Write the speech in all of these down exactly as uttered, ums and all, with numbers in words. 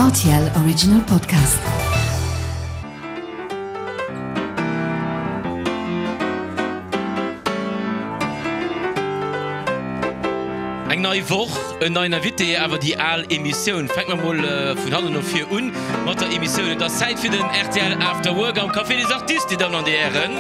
R T L Original Podcast. Eng nei Woch, en neien Invité, awer déi al Emissioun. Fänke mer mol vun hannen no vir un mat der Emissioun. Et ass Zäit fir den R T L After Work am Café des Artistes, Dir Dammen an Dir Hären.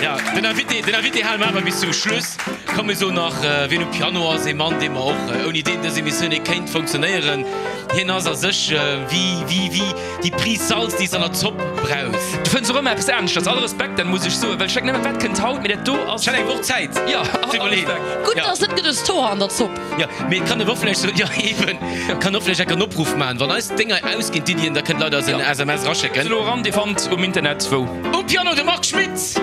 Ja, den Invité, den Invité hale mer awer bis zum Schluss. Komm, mir soen nach, wien um Piano ass, ee Mann, dee mer och, ouni deen dës Emissioun net kéint funktionéieren. Hien ass a sech wéi, wéi, wéi déi Prise Salz, déi s an der Zopp brauchs. Du fënns och ëmmer eppes aneschters. All Respekt, dat muss ech soen, well ech denken ëmmer, wat kënnt haut, mee dat do ass. Ech hat eng Woch Zäit Jo, ze all iwwerleeën. Respekt. Gutt, Ja. dass net genuch Zoch an der Zopp. Jo, mee et kann een och vläicht soen, jo eben, kann och vläicht enk en Opruff maachen, wann eis Dénger ausginn, d'Iddien, da kënnt Leit eis en S M S eraschécken. Elo eran, Dir fannt um Internet wou. Um Piano de Marc Schmitt!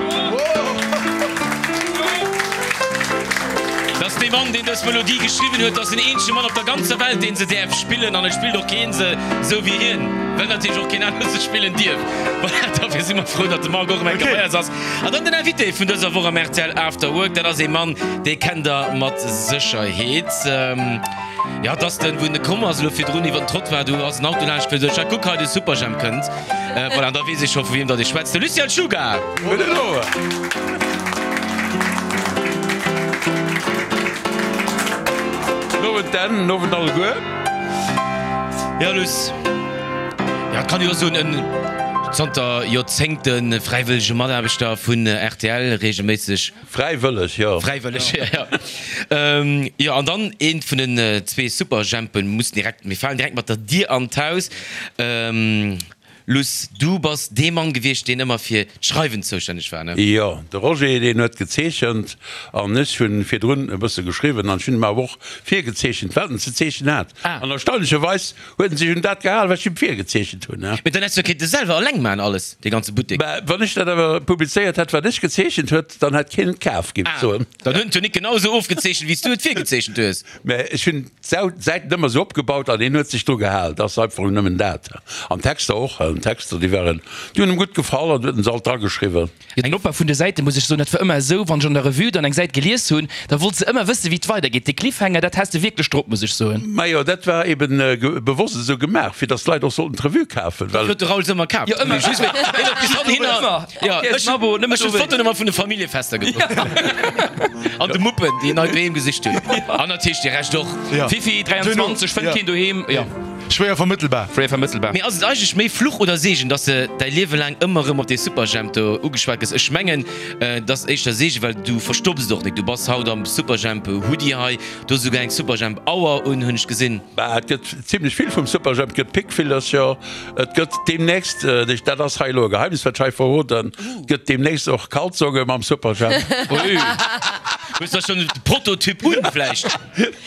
Dat ass dee Mann, deen dës Melodie geschriwwen huet. Dat ass den eenzege Mann op der ganzer Welt, deen se däerf spillen. An et spillt och keen se esou wéi hien, well natierlech och keen anere se spillen dierf. Voilà, dofir si mer frou, datt de Marc och erëm eng Kéier bei eis ass. An dann den Invité vun dëser Woch am R T L After Work, dat ass ee Mann, dee kennt der mat Sécherheet. Jo, et ass den, wou en komm ass elo virdrun iwwer den Trottoir, do ass en Auto laanscht gefuer, sot ech, kuck hei, de Superjhemp kënnt. Voilà, an da weess ee scho vu wiem datt ee schwätzt, de Lucien Czuga! Gudden Owend! Owend Dan, den Owend alleguer. Jo, Luss, jo, et kann ee jo soen, en zanter Joerzéngte fräiwëllege Mataarbechter vun R T L, reegelméisseg. Fräiwëlleg, jo. Fräiwëlleg, jo. Jo, an dann eent vun den zwee Superjhempen muss direkt, mir falen direkt mat der Dier an d'Haus. Luss, du bass dee Mann gewiescht, deen ëmmer fir d'Schreiwen zoustänneg war, ne? Jo, de Roger, deen huet gezeechent an ech hunn virdrun e bësse geschriwwen an ech hunn him awer och virgezeechent, wat en ze zeechnen hat. Ah. An erstaunlecherweis huet en sech un dat gehal, wat ech him virgezeechent hunn. Mee dann häss du jo kéinte selwer eleng maachen alles, dee ganze Buttek. Mä wann ech dat awer publizéiert hätt, wat ech gezeechent huet, dann hätt keen et kaf, géif ech soen. Ah, dann huet en et jo nik genau esou ofgezeechent, wéi s du et virgezeechent hues. Mä ech hunn d'Säiten ëmmer esou opgebaut an hien huet sech dru gehal. Dat ass einfach nëmmen dat. An d'Texter och. D'Texter, déi waren, déi hunn em gutt gefall an huet en se alt drageschriwwen. Jo, den Opbau vun de Säite muss ech soen, dat war ëmmer esou, wann ech an der Revue dann eng Säit gelies hunn, da wollt se ëmmer wëssen, wéi et weidergeet. Dee Cliffhanger, dat has de wierklech drop, muss ech soen. Majo, dat war eben bewosst esou gemaach, fir datt d'Leit och sollten d'Revue kafen, well. Dat huet de Raoul se ëmmer kaf. Jo, ëmmer. Just wéi hien huet bis hannhinner. Ëmmer. Jo, All Kéiers ech en Abo, nëmmen ech hunn dowéinst. d'Fotoen ëmmer vun de Familljefester gepost. An de Muppen, déi en hei doheem gesicht hunn. An natierlech de Rescht och. Ja. Fifi, dräianzwanzeg, fënnt keen doheem, jo. Schwéier vermëttelbar. Schwéier vermëttelbar. Mee ass et eigentlech méi Fluch oder Seegen, dass de däi Liewe laang ëmmer erëm op dee Superjhemp do ugeschwat gëss? Ech mengen, et ass éischter Seegen, well du verstopps et och nik. Du bass haut am Superjhemp Hoodie hei, du hues esouguer eng Superjhemp Auer un, hunn ech gesinn. Bah, et gëtt zimlech vill vum Superjhemp. Et gëtt Pickvillercher, et gëtt deemnächst, dat ass hei elo e Geheimnis, wat ech hei verroden, et gëtt deemnächst och Kalzonge mam Superjhemp. Ui, hues der schonn de Prototyp un vläicht?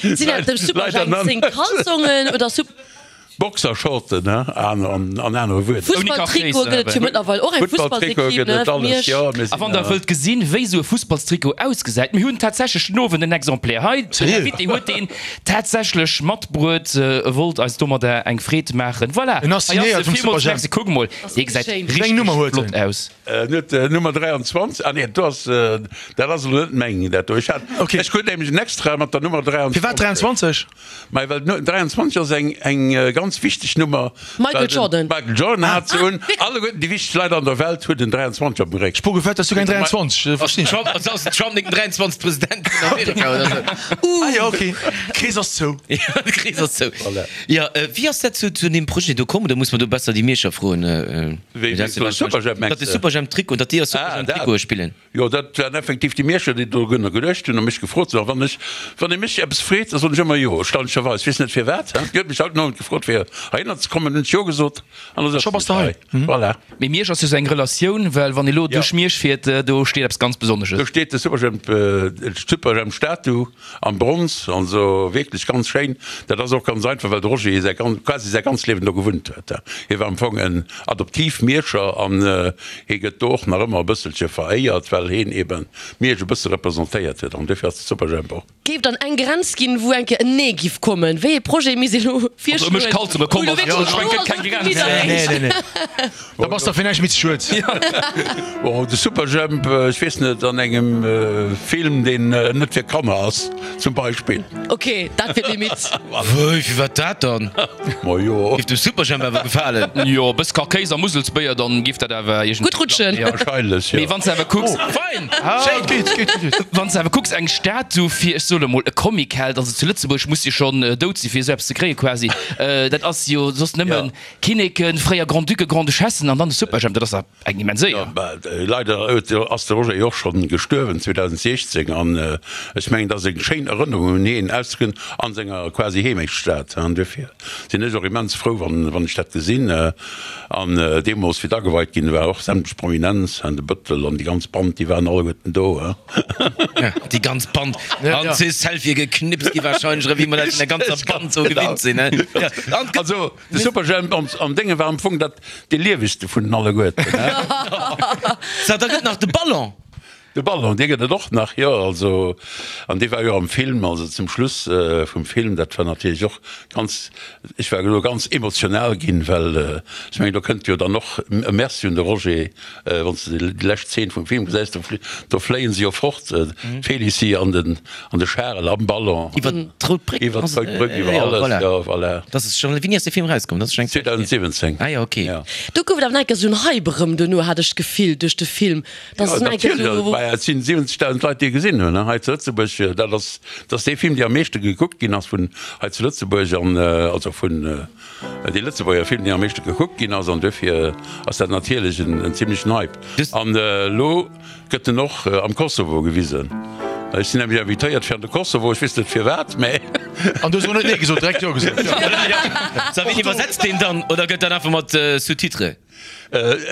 Sinn dat dem Leider Superjhemp nach seng net. Kalzongen oder Sup. Boxershorten, ne? An an anere Wuerder. Fussballtrikot gëtt et jo mëttlerweil och, eng Fussballtrikot Fussballsequipe, gëtt ne, et vu alles, Miersch. jo. Mir A sinn wann der wëllt gesinn, wéi esou e Fussballstrikot ausgesäit, mir hunn tatsächlech den Owend en Exemplaire hei. Den Sérieux? Invité huet deen tatsächlech matbruet, e wollt eis domadder eng Freed maachen. Voilà, En ass hei ass signéiert e. vum Villmools Superjhemp. Merci. Kuck mol, dee gesäit Wéi eng richteg Nummer huet flott en? aus. En huet Nummer dräianzwanzeg. Ah nee, do ass, dat ass elo net meng, dat do. Ech hat, Okay. ech krut nämlech en extra mat der Nummer Firwat dräianzwanzeg. dräianzwanzeg? Mei well d'Nu dräianzwanzeg ass eng eng ganz wichteg Nummer. Michael well den Jordan. Michael Jordan hat se un. Alleguerten déi wichteg Leit an der Welt hunn den dräianzwanzeg op dem Réck. Ech gefällt, dass du keng dräianzwanzeg, verstinn ech. Trump, ass ass den Trump net den dräianzwanzeg. President vun Amerika oder sou? Ah jo, okay. Krees ass zou. Ja, de Krees ass zou. Voilà. Jo, wéi ass dat zu zu deem Projet do komm? Oder muss mer do besser déi Mierscher froen? Wéi, wéi zu Superjhemp mengs Datt de de? Superjhemp-Trikot, datt déi a Ah, dat. Superjhemp-Trikote spillen. Jo, dat waren effektiv déi Mierscher, déi dorunner geduecht hunn a mech gefrot hunn. A wann ech, wann ee mech eppes freet, da soen ech ëmmer jo, erstaunlecherweis. Weess net firwat. Déi huet mech haut den Owend gefrot, fir heihinner ze kommen, hunn ech jo gesot an da Scho sëtzen bass de ech hei. hei. Voilà. Mee Miersch ass jo sou eng Relatioun, well wann ee lo duerch Miersch fiert, do steet eppes ganz Do Besonnesches. steet de Superjhemp, d'Superjhemp-Statu am Bronz, also wierklech ganz schéin. Dat ass och ganz einfach, well de Roger säi gan, quasi säi ganzt Liewen do gewunnt huet. Hie war am Fong en Adoptiv-Mierscher an hie gëtt do och nach ëmmer e bësselche veréiert, well hien eben Miersch e bësse representéiert huet an dofir ass de Superjhemp och. Géif dann eng Grenz ginn, wou eng Kéier en Nee giff kommen? Wéi ee Projet misst ee lo Also ëm mech virschloen, Schalzunge komm ass. Also ech mengen, et gëtt keng Grenz. Nee, nee, nee. Da bass der fir näischt méi ze schued. Bon, de Superjhemp, ech weess net, an engem Film, deen net fir Kanner ass, zum Beispill. Ok, dat wier d'Limite. Wéi, firwat dat dann? Ma jo. Géif dem Superjhemp awer gefalen. Jo, e bëss Karkéis a Muselsbéier, dann géif dat awer iergendwéi Gutt rutschen. klappen. Wahrscheinlech, jo. Mee wann s de awer kucks. Fein! Ah, Schéin! geet, geet, geet. Wann s de awer kucks, eng Statu fir, ech soe lo mol, e Comicheld, also zu Lëtzebuerg muss jo schonn dout si fir esou eppes ze kréie quasi, dat ass jo soss nëmmen Kinneken, fréier Grand-Ducken, Grand-Duchessen an dann de Superjhemp, dat ass dach eng immens Éier. Jo, leider ass de Roger jo och schonn gestuerwen zweedausendsechzéng an ech mengen, et ass eng schéin Erënnerung un hien ausgerechent an senger quasi Heemechtsstad an duerfir sinn ech och immens frou, wann ech dat gesinn. An deemools, wéi et ageweit ginn war, och sämtlech Prominenz, de Bëttel an déi ganz Band, déi waren alleguerten do. Déi ganz Band an zwee Selfië geknipst gi warscheinlech, erëm wéi mer dat vun der ganzer Band sou gewinnt sinn. Also de Superjhemp am Dénge war am Fong dat dee liewegste vun den alleguerten. Sou, da gëtt nach de Ballon. De Ballon, dee gëtt et och nach, jo. Also, an dee war jo am Film, also zum Schluss vum Film, dat war natierlech och ganz, ech war elo ganz emotional ginn, well ech mengen, do kënnt jo dann och e Merci un de Roger, wann s de déi lescht Zeen vum Film gesäis, do do fléien se jo fort, d'Félicie an den an de Charel am Ballon. Iwwer d'Rout Bréck. Iwwer d'Rout Bréck, iwwer alles, jo, voilà. Dat ass schonn, wéini ass dee Film erauskomm? Dat ass schonn eng Zäit hier. zweedausensiwwenzéng. Ah jo, okay. Jo. Do gouf et awer nach eng Kéier esou en Hype erëm duerno, hat ech d'Gefill, duerch de Film. Jo, natierlech, et sinn siwwenzegdausend Leit, déi e gesinn hunn hei zu Lëtzebuerg. Dat ass, dat ass dee Film, dee am meeschte gekuckt ginn ass vun hei zu Lëtzebuerg an also vun dee Lëtzebuerger Film, deen am meeschte gekuckt ginn ass. An duerfir ass dat natierlech en en zimlechen Hype. An elo gëtt en och am Kosovo gewisen. Ech sinn nämlech invitéiert fir an de Kosovo, ech weess net firwat, mä. An du hues och net Nee gesot, direkt Jo gesot. Sa, wien iwwersetzt deen dann oder gëtt dat einfach mat Sous-titres?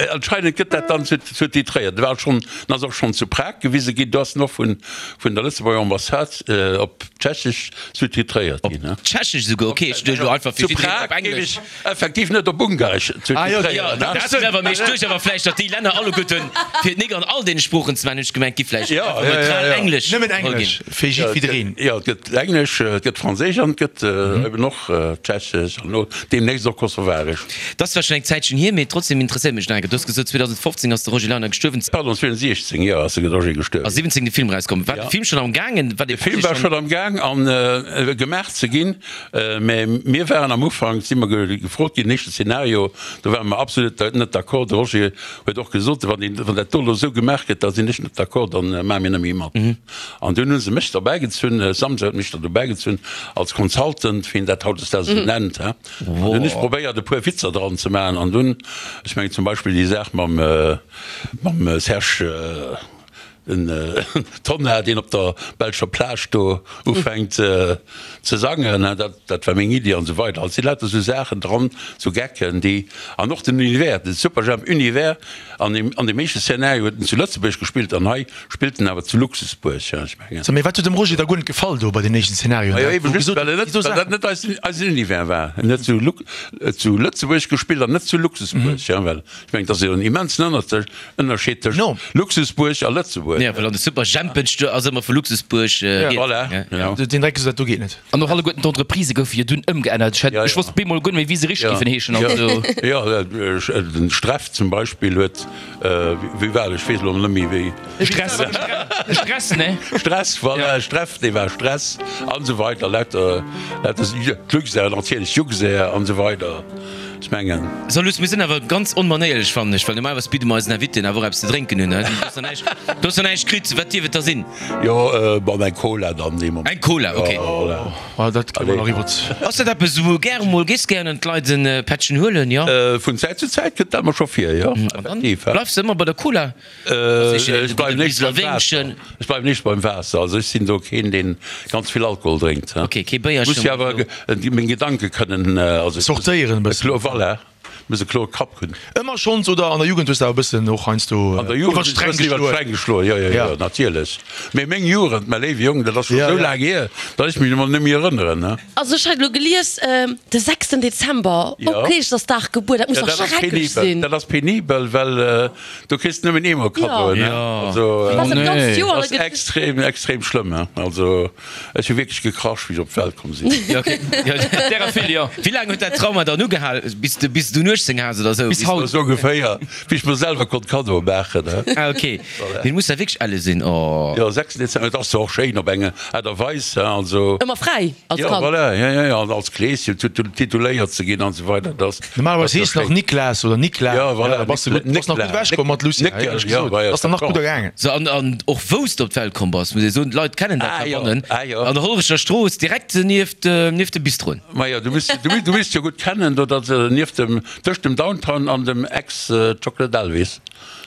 Anscheinend gëtt dat dann sous-titréiert. Et war schonn, en ass och schonn zu Prag gewise ginn. Do ass en och vun vun der Lëtzebuerger Ambassade op Tschechesch sous-titréiert ginn. Op Tschechesch esouguer? Ok, ech duecht elo einfach fir Zu jiddereen op Prag géif Englesch. ech effektiv net op Ungaresch sous-titréieren. Dat ass awer, mee ech duecht awer vläicht, datt déi Länner alleguerten, fir et nik an all deene Sproochen ze maachen, hunn ech gemengt, gi vläicht einfach neutral Englesch Nëmmen geholl Englesch ginn. fir jiddwereen. Jo, et gëtt Englesch, et gëtt Franséisch an et gëtt eben och Tschechesch an elo deemnächst och Kosovaresch. Dat ass zwar schonn eng Zäitchen hier, mee trotzdem interesséiert mech nach eng Kéier. Du hues gesot, zweedausendfofzéng ass de Roger Leiner gestuerwen. Pardon, zweedausendsechzéng, jo, ass de Roger gestuerwen. A siwwenzéng de Film erauskomm. War de Film schonn am gaangen? War De Film war schonn am Gaang an gemaach ze ginn, mä mir waren am Ufank, si mer gefrot ginn, den éischte Szenario, do ware mer absolut net d'accord. De Roger huet och gesot, wann deen, wann dat do elo esou gemaach gëtt, da sinn ech net d'accord, da maache mir net méi mat. An dunn hu se mech derbäigezunn, Samsa huet mech da dobäigezunn als Consultant, wéi een dat hautdesdaags esou nennt, he. An dunn hunn ech probéiert e puer Witzer dran ze maachen an dunn, ech mengen zum Beispill déi Saach mam mam Serge den Tonnar, deen op der belscher Plage do ufänkt ze sangen, dat dat war meng Iddi an esou weider. Also et si lauter esou Saachen dran, esou Gecken, déi, an och den Univers, den Superjhemp-Univers an deem an deem éischte Szenario huet en zu Lëtzebuerg gespillt an hei spillt en awer zu Luxusbuerg, ech mengen. So, mee wat huet dem Roger da guer net gefall do bei den éischten Szenarioen? Majo, Dat eben wou just, gesot well en huet, net, déi do well dat Saachen. net eisen, eisen Univers war. En huet zu Luk, zu Lëtzebuerg gespillt an net zu Luxusbuerg, ja, well ech mengen, et ass jo en immensen Ënner, Ënnerscheed tëscht No. Luxusbuerg a Lëtzebuerg. Ja, well an de Superjhempen ass ëmmer vu Luxusbuerg Ja. rieds. Voilà, Ja. genau. Den Dreck gesot, dat do geet net. An och alleguerten d'Entreprisë goufe jo dunn ëmgeännert. Ech hätt, Ja, ech ja. wosst bemol guer net méi, wéi se richteg Ja. géifen heeschen. Ja. Also. Ja, den Streff zum Beispill huet, wéi war et, ech weess elo net méi wéi. Stress, Stress, ne? Stress, voilà, Streff, dee war Stress an esou weider, lauter, lauter d'Luxair, natierlech Juxair an esou weider, ech mengen. So Luss, mir sinn awer ganz onmanéierlech, fannen ech, well normalerweis bidde mer eisen Invitéen awer och eppes ze drénken un, ne? Du hues nach näischt, du hues nach näischt kritt, wat dierf et da sinn? Jo, bon, eng Cola dann dee Moment. Eng Cola, ok. Jo, voilà. Ah, dat kréie mer nach iwwert. Ass dat eppes, wou gäre mol, gees gären an d'Leit en Pättchen huelen, jo? Vun Zäit zu Zäit kënnt dat mer scho vir, jo, effektiv. Bleifs de ëmmer bei der Cola? Ech bleiwen éischter beim Waasser. Ech bleiwen éischter beim Waasser. Also ech sinn do keen, deen ganz vill Alkohol drénkt. Ok, kee Béierchen Muss jo oder awer sou? meng Gedanke kënnen, also Sortéieren e bëssen. Voilà. Muss e klore Kapp hunn. Ëmmer schonns oder an der Jugend hues de awer e bëssen och heiansdo An der Jugend iwwer d'Stränk iwwer geschloen? d'Stränk geschloen, jo, jo, jo, natierlech. Mee meng Jugend, mäi léiwe Jong, dat ass scho Ja, sou ja. laang hier, datt ech mech emol net méi erënneren, ne? Also ech hat elo gelies, de sechsten Dezember, Ja. op Kleeschersdag gebuer, dat muss Ja, dach dat ass schrecklech penibel. sinn. Dat ass penibel, well do kriss de nëmmen eemol Kaddoen, ne? Ja. Also, Was dat ganzt Joer ass extrem, extrem schlëmm, ne? Also ech hu wierklech gekrasch, wéi ech op d'Welt komm sinn. Ja, okay. Ja, Därer vill, jo. Wéi laang huet dat Trauma dann ugehal? Bis de, bis du uechtzéng has oder sou? Bis haut. Esou ongeféier, wéi ech mer selwer konnt Kaddoe maachen, ne? Ah, okay. Mee muss dat wierklech elle sinn, oh. Jo, sechsten Dezember, et ass zwar och schéin op eng Aart a Weis, hein, also. Ëmmer fräi als Jo, Kand. voilà, jo, jo, jo, an als Kleeschen tituléiert ze ginn an esou weider, dat ass. Normalerweis heescht nach Niklas oder Nikla. Jo, voilà, Da bass de gutt, bass nach gutt ewech komm mat Lucia, Néckel, éierlech jo, gesot. voilà, Ass dann nach gutt ergaangen. So, an, an och wou s de op d'Welt komm bass, muss ee soen, d'Leit kennen dat Ah, jo, heibannen, ah, jo. an der Hollerecher Strooss, direkt nieft, nieft de Bistroen. Majo, du misst, du, du misst jo gutt kennen, do dat nieft dem, tëscht dem Downtown an dem Ex-Chocolate Elvis.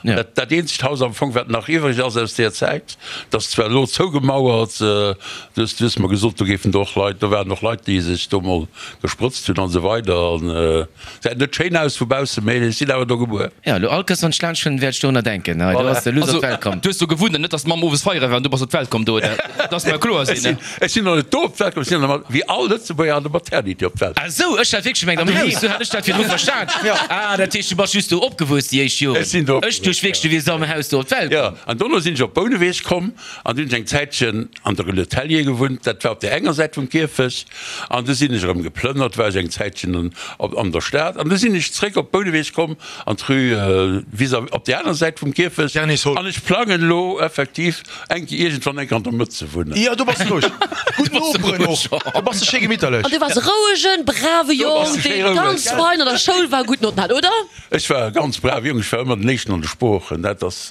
Ja. Dat, dat eenzegt Haus am Fong, wat nach iwwreg ass aus deer Zäit, dat ass zwar elo zougemauert, du hues, du hues mer gesot, do géifen do och Leit, do waren och Leit, déi sech do mol gesprëtzt hunn an esou weider. An säit net schéin aus vu baussen, mee ech sinn awer do gebuer. Ja, elo all Kéiers wann ech laanscht fueren, wäert ech dorunner denken. Hei, do ass de Luss op Also, d'Welt komm. du hues do gewunnt an net, dass d'Mamm owes feiere war an du bass op d'Welt komm do, oder? Dass mer kloer Ech sinn, sinn, ne? ech sinn och net do op d'Welt komm, ech sinn an der, wéi all Lëtzebuerger an der Maternité op d'Welt. Ah sou, ech hat wierklech gemengt am Haus, sou hat ech dat virdru verstan. Ah, dat heescht du bass just do opgewuess déi éischt Joren. Ech sinn do Ech duecht wierklech du wiers am Haus do op d'Welt Jo, komm. an dono sinn ech op Bouneweg komm an du hunn ech eng Zäitchen an der Rue Le Tellier gewunnt, dat war op där enger Säit vum Kierfecht. An du sinn ech erëm geplënnert, war ech eng Zäitchen an, op, an der Stad an du sinn ech zréck op Bouneweg komm an d'Rue vis-à-vis op där aner Säit vum Kierfecht. Derniers Hol. An ech plangen elo effektiv eng iergendwann eng Kéier an der Mëtt ze wunnen. Jo, do bass de roueg. Gutt Noperen och. Do bass de schéi gemitterlech. An du waars e rouegen, brave Jong, bass de schéi dee roueg. ganz fein an der Schoul war, gutt Notten hat, oder? Ech war e ganz brave Jong, ech war ëmmer den Éischten an de Sproochen, dat ass,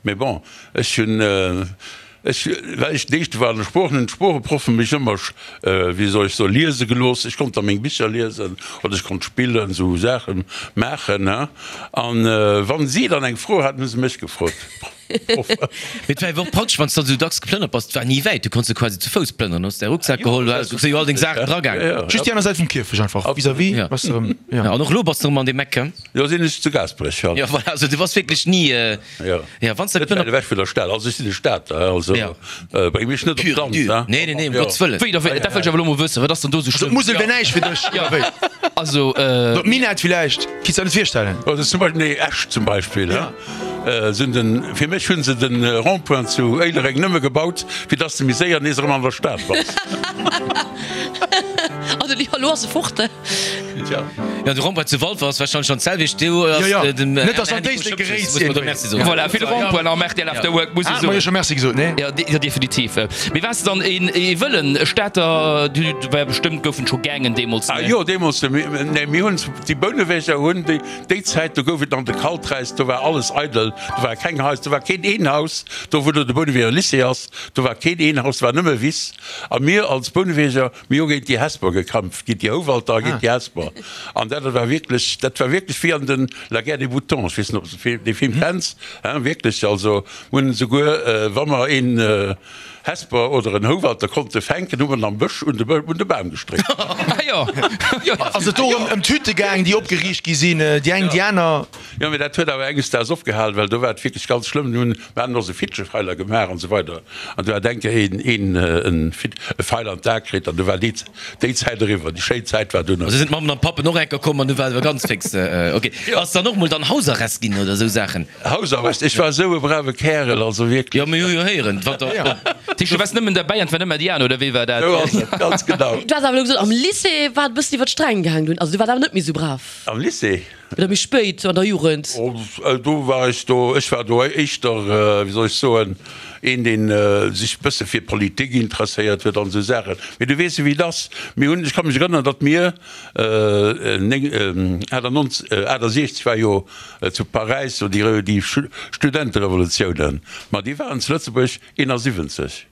mee bon, ech hunn, ech, well ech den Éischte war an de Sproochen, hunn d'Sproocheproffen mech ëmmer, wéi soll ech soen, liese gelooss. Ech konnt da meng Bicher liesen oder ech konnt spillen, esou Saache maachen, ne? An wann si dann eng Fro haten, hu se mech gefrot. Mee et war awer och praktesch, wann s de dann esou dacks geplënnert bass, et war ni wäit, du konns jo quasi zu Fouss plënneren, hues däi Rucksak geholl, du hues jo all deng Saachen dragaangen. Just déi aner Säit vum Kierfecht einfach, vis-à-vis, Ja. bass de erëm, ja. Ja, an och elo bass de erëm an deem Eck, he? Jo, sinn ech zu Gaasperech, ja. Ja, voilà, also du bass wierklech ni, Ja. ja, wann s de Net wäit geplënnert. ewech vun der Stad, also ech sinn e Stater, also Ja. bréng mech net op Pur et d'Land, dur. he. Nee, nee, nee, um Ja. Gottes Wëllen. Wéi, da wéi, dat wëll ech awer elo mol wëssen, wat ass dann do esou Also schlëmm? d'Musel wär näischt fir dech, oder wéi? Also, äh. D'Minett villäicht, kinns der net virstellen? Also zum Beispill, nee, Esch zum Beispill, he. Sinn den, fir mech hunn se den Rond-point zu Éilereng nëmme gebaut, fir dass de méi séier nees erëm an der Stad bass. Also elo ass e fort. Tja. Jo, de Rond-point zu Walfer ass wahrscheinlech schonn d'selwecht. Do ass Jo, jo. den Net dass an Handy Éislek vum Schëppches, geréist muss mer do iergendwéi. Merci soen. Voilà, fir de Rond-point am R T L After Work, muss ech Ah, mer jo soen. scho Merci gesot, nee? Jo, jo, definitiv. Mee waars de dann een ee wëllen Stater? Du war bestëmmt, goufen scho Gaangen deemools, Ah ne? jo, deemools, nee, mir hunn, déi Bouneweger hunn déi, déi Zäit, do gouf et nach de Kaltreis, do war alles eidel, do war keng Haus, do war keen een Haus, do wou elo de Bouneweger Lycée ass, do war keen een Haus, do war nëmme Wiss. A mir als Bouneweger, mir hu géint déi Hesper gekämpft, géint déi Houwalter a géint déi Hesper. An dat war wierklech, dat war wierklech wéi an den La guerre des boutons, ech weess net, ob s de dee Film kenns, hein, wierklech, also mir hunn esouguer, wa mer een Hesper oder en Houwalter konnte fänken, hu mer en am Bësch un de, un de Bam gestréckt. Ah jo, jo. Ass et do erëm ëm d'Hütte gaang, déi opgeriicht gi sinn, déi eng, déi aner? Jo, mee dat huet awer enges Daags opgehalen, well do war et wierklech ganz schlëmm. Mir hunn, mir haten och esou Fitschefeiler gemaach an esou weider. An du hat eng Kéier een, een en Fit, e Feil an d'A kritt an du war déi, déi Zäit eriwwer. Déi schéin Zäit war dunn Also sinn d'Mammen an d'Pappen och eng Kéier komm an du war et awer ganz fix ok. Ass dann och mol dann Hausarrest ginn oder esou Saachen? Hausarrest? Ech war esou e brave Kärel, also wierklech. Jo, mir hu jo héieren, wat der. Dat heescht, du waars nëmmen derbäi an et war nëmmer déi aner, oder wéi war dat? Esou ass et, ganz genau. Du has awer elo gesot, am Lycée war et e bëssen iwwer d'Stränk gaangen dunn. Also du waars awer net méi esou brav. Am Lycée? Oder méi spéit, an der Jugend. Oh, do war ech do, ech war do éischter, wéi soll ech soen, een, deen sech e bësse fir Politik interesséiert huet an esou Saachen. Mee du weess jo, wéi et ass. Mir hunn, ech ka mech erënneren, datt mir néng, achtundsiechzeg war jo zu Paräis do déi, déi Studenterevolutiounen, ma déi waren zu Lëtzebuerg eenasiwwenzeg.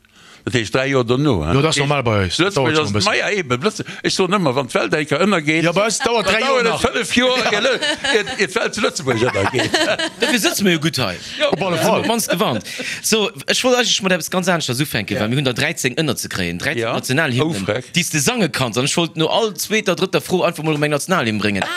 Dat heescht dräi Joer dono. Jo, dat ass normal bei eis. Dat dauert schon e bëssen. Maja, eben. Ech soen ëmmer, wann d'Welt eng Kéier ënnergeet, Jo, bei eis dauert dräi Joer dann dauert et nach. fënnef Joer, ier ier d'Welt zu Lëtzebuerg ënnergeet. Dofir sëtze mir jo gutt hei. Op alle Fall. Op d'mannst gewarnt. So, ech wollt eigentlech mat eppes ganz aneschters ufänken, well mir hunn der dräizéng ënnerzekréien, dräizéng Ja. Nationalhymnen, Oh, freck. déi s de sange kanns. An ech wollt no all zweeter, drëtter Fro einfach mol erëm eng Nationalhymn bréngen.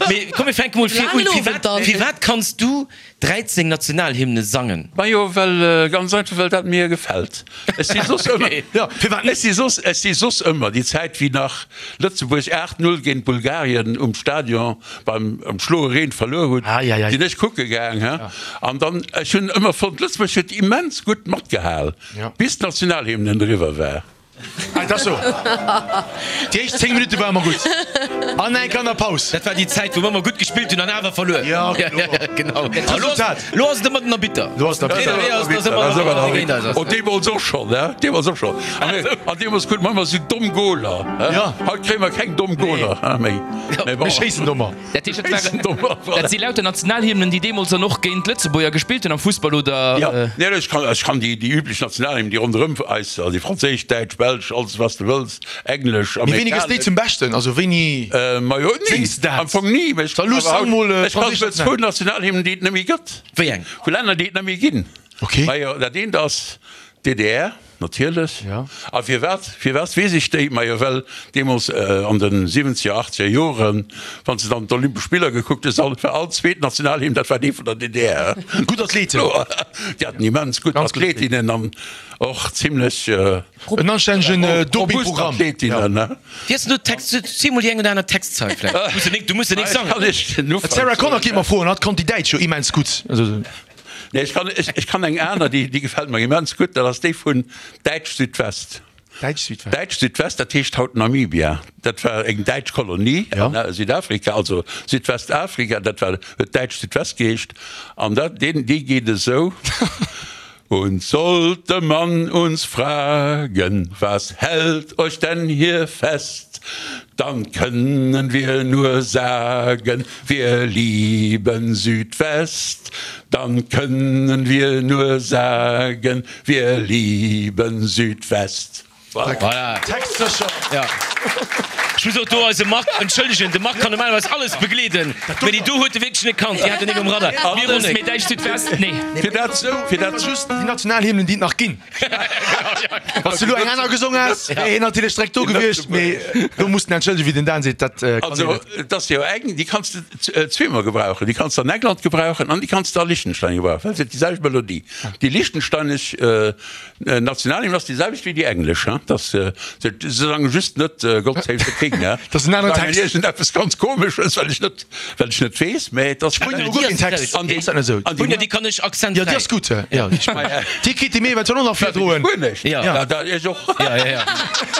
Mee komm mir fänke mol vir un. Firwat, firwat kanns du dräizéng Nationalhymne sangen? Majo, well, ganz einfach, well dat mir gefält. Ech si soss ëmmer, ech si soss, ech si soss ëmmer, déi Zäit wéi nach Lëtzebuerg aacht Null géint Bulgarien um Stadion beim am schloe Reen verluer hutt, sinn ech kucke gaang, he. An dann, ech hunn ëmmer fonnt, Lëtzebuerg huet immens gutt matgehal, bis d'Nationalhymne eriwwer war. Ah, et ass sou. Déi éischt zéng Minutte ware mer gutt. An eng Kéier an der Paus. Dat war déi Zäit, wou mer ëmmer gutt gespillt hunn an awer verluer. Ja, kloer. Genau. A lo ass, lo ass et ëmmer den Arbitter. Lo ass den Arbitter. Nee, ass, ass ëmmer den Arbitter, dee géint eis ass. Oh, deemools och schonn, he? Deemools och schonn. A mir, an deemools krute mer ëmmer esou domm Goler, he? Ja. Haut kréie mer keng domm Goler, he, méi. Mee bon. Mir schéissen dommer. Dat heescht, dat waren, dat si lauter Nationalhymnen, déi deemools dann och géint d'Lëtzebuerger gespillt hunn am Fussball, oder? Jo, nee, ech kann, ech kann déi, déi üblech Nationalhymnen, déi ronderëm eis, also déi franséisch, däitsch, belsch, alles wat s de wëlls, englesch, Mee wéini gëss déi zum Beschten? Also wéini Majo, ni, séngs de dat? am Fong ni, mee ech Da kann luuss awer sang mol haut, ech kann franséisch souguer zwou Nationalhymnen. Nationalhymnen, déi et net méi gëtt. Wéi eng? Vu Länner, déi et net méi ginn. Okay. Majo, dat eent ass d'DDR. Natierlech. Ja. A firwat, firwat weess ech déi? Majo, well deemools an de siwwenzeger, achtzeger Joren, wann s de dann d'Olympesch Spiller gekuckt hues, all, war all zweet Nationalhymn, dat war déi vun der D D R. Gutt Athleten. Déi haten immens gutt Ganz gutt Athletinnen an och zimlech En anstännegen robust Dopingprogramm. Athletinnen, ne? Wéi ass denn do d'Text? Ziel mol déi eng oder aner Textzeil vläicht. Du muss jo nik, du muss jo nik sangen. Kann ech den Ufank D'Sarah Connor soen? kéint mer froen, hatt konnt déi Däitsch jo immens gutt. Also. Nee, ech kann, ech, ech kann eng aner, déi, déi gefält mer immens gutt, dat ass déi vun Däitsch-Südwest. Däitsch-Südwest. Däitsch-Südwest, dat heescht haut Namibia. Dat war eng däitsch Kolonie Ja. an Südafrika, also Südwestafrika, dat war, huet Däitsch-Südwest geheescht. An dat, deen, déi geet esou, Und sollte man uns fragen, was hält euch denn hier fest, dann können wir nur sagen, wir lieben Südwest, dann können wir nur sagen, wir lieben Südwest. Voilà. Textsécher. Ja. Ech muss och do eise Marc entschëllegen, de Marc kann normalerweis alles begleeden, mee déi do huet e wierklech net kannt, déi hat en net um Radar. Mir Alles, Ronnek. mee Däitsch Südwest, nee. Fir dat, fir dat. Just déi Nationalhymnen, déi et nach ginn. Wann s de elo eng aner gesong häss, wär hien natierlech direkt do gewiescht, mee do muss en entschëllegen, wéi den Dan seet, dat kann Also, een net. et ass jo eng, déi kanns de zweemol gebrauchen. Déi kanns de an England gebrauchen an déi kanns de a Liechtenstein gebrauchen, well se huet déi selwecht Melodie. Déi liechtensteinesch Nationalhymn ass déi selwecht wéi déi englesch, hein. Dass se sangen just net God save the King, hein. Dat ass en aneren Text. Sangen iergendeppes ganz Komesches, well ech net, well ech net weess, mä et ass. Spuenier hu guer keen Text, An déi, ass dat net esou? an déi, Spuenier, déi kann ech Jo, akzentfräi. déi ass gutt, jo, déi Spuenier. Déi kritt de mir eventuell och nach virdroen. Spuenesch? Ja. Ja, da, ech och. Ja, ja, ja.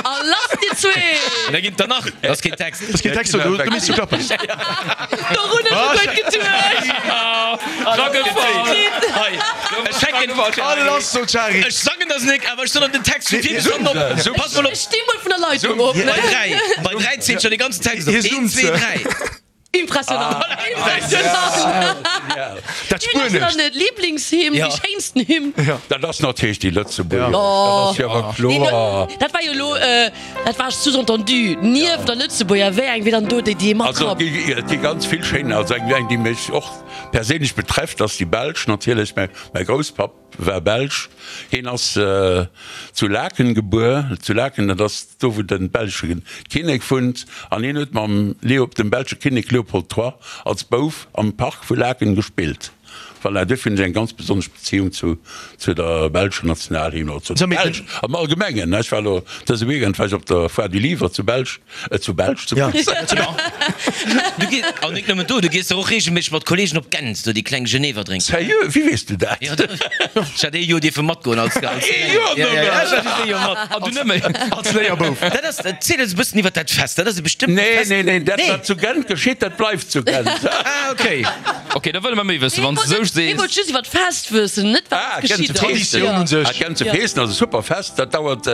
A lass déi zwee! An da ginn et der nach. Dat ass keen Text. Dat ass keen Text, do, do misst du klappen. Dorun hu ech guer geduecht. Hei, ech fänken. A lass, sot d'Shari. Ech sangen das nik, awer ech soen den Text vun vir bis hannen op. Pass mol op. Ech sti mol vun der Leitung op, ne? Bei dräi, bei dräi zielt schon de ganzen Text op. Hie Een, zoomt zwee, se. dräi. Impressionant. Impressionant. Dat Wien ass Spuenescht. dann d'Liblingshymn, Ja. déi schéinsten Hymn? Dat ass natierlech déi Lëtzebuergesch. Oh. Dat ass jo awer Nee, kloer. dat war jo elo, dat war sous-entendu, nieft der Lëtzebuerger, wéi eng wier dann do déi, déi ee Also matrappt? et gi, et gi ganz vill schéin, also eng, eng déi mech och perséinlech betrefft, ass déi belsch natierlech. Mäi, mäi Grousspapp war Belsch. Hien ass zu Laeken gebuer. Zu Laeken, dat ass do wou de belsche Kinnek wunnt. An hien huet mam Leo, dem belsche Kinnek Leopold Trois als Bouf am Park vu Laeken gespillt. Voilà, duerfir hunn ech eng ganz besonnesch Beziehung zu zu der belscher Nationalhymn oder zu der Belsch am Allgemengen. Ech war elo dëse Weekend war ech op der Foire du Livre zu Belsch, zu Belsch, zu Bruxelles. Du gees, an nik nëmmen do, du gees dach och reegelméisseg mat Kollegen op Gent, do déi kleng Genever drénken. Sérieux? Wéi weess du dat? Jo, ech hat ee Joer dierfe matgoen als, als Ee Joer Ja, ja, ja, nëmmen? ech hat just ee Joer mat. An du nëmme? Als Léierbouf. Dat ass, erziel eis e bëssen iwwer dat Fest, dat ass e bestëmmtent Nee, Fest. nee, nee, dat Nee. wat zu Gent geschitt, dat bleift zu Gent. Ah, okay. Okay, da wëlle mer méi wëssen, wann s de esou Hie sees. wollt just iwwer d'Fest wëssen, net wat Ah, geschitt Gent ass. Feesten. Traditioun un sech. Ah, Gent ze Feesten ass e super Fest, dat dauert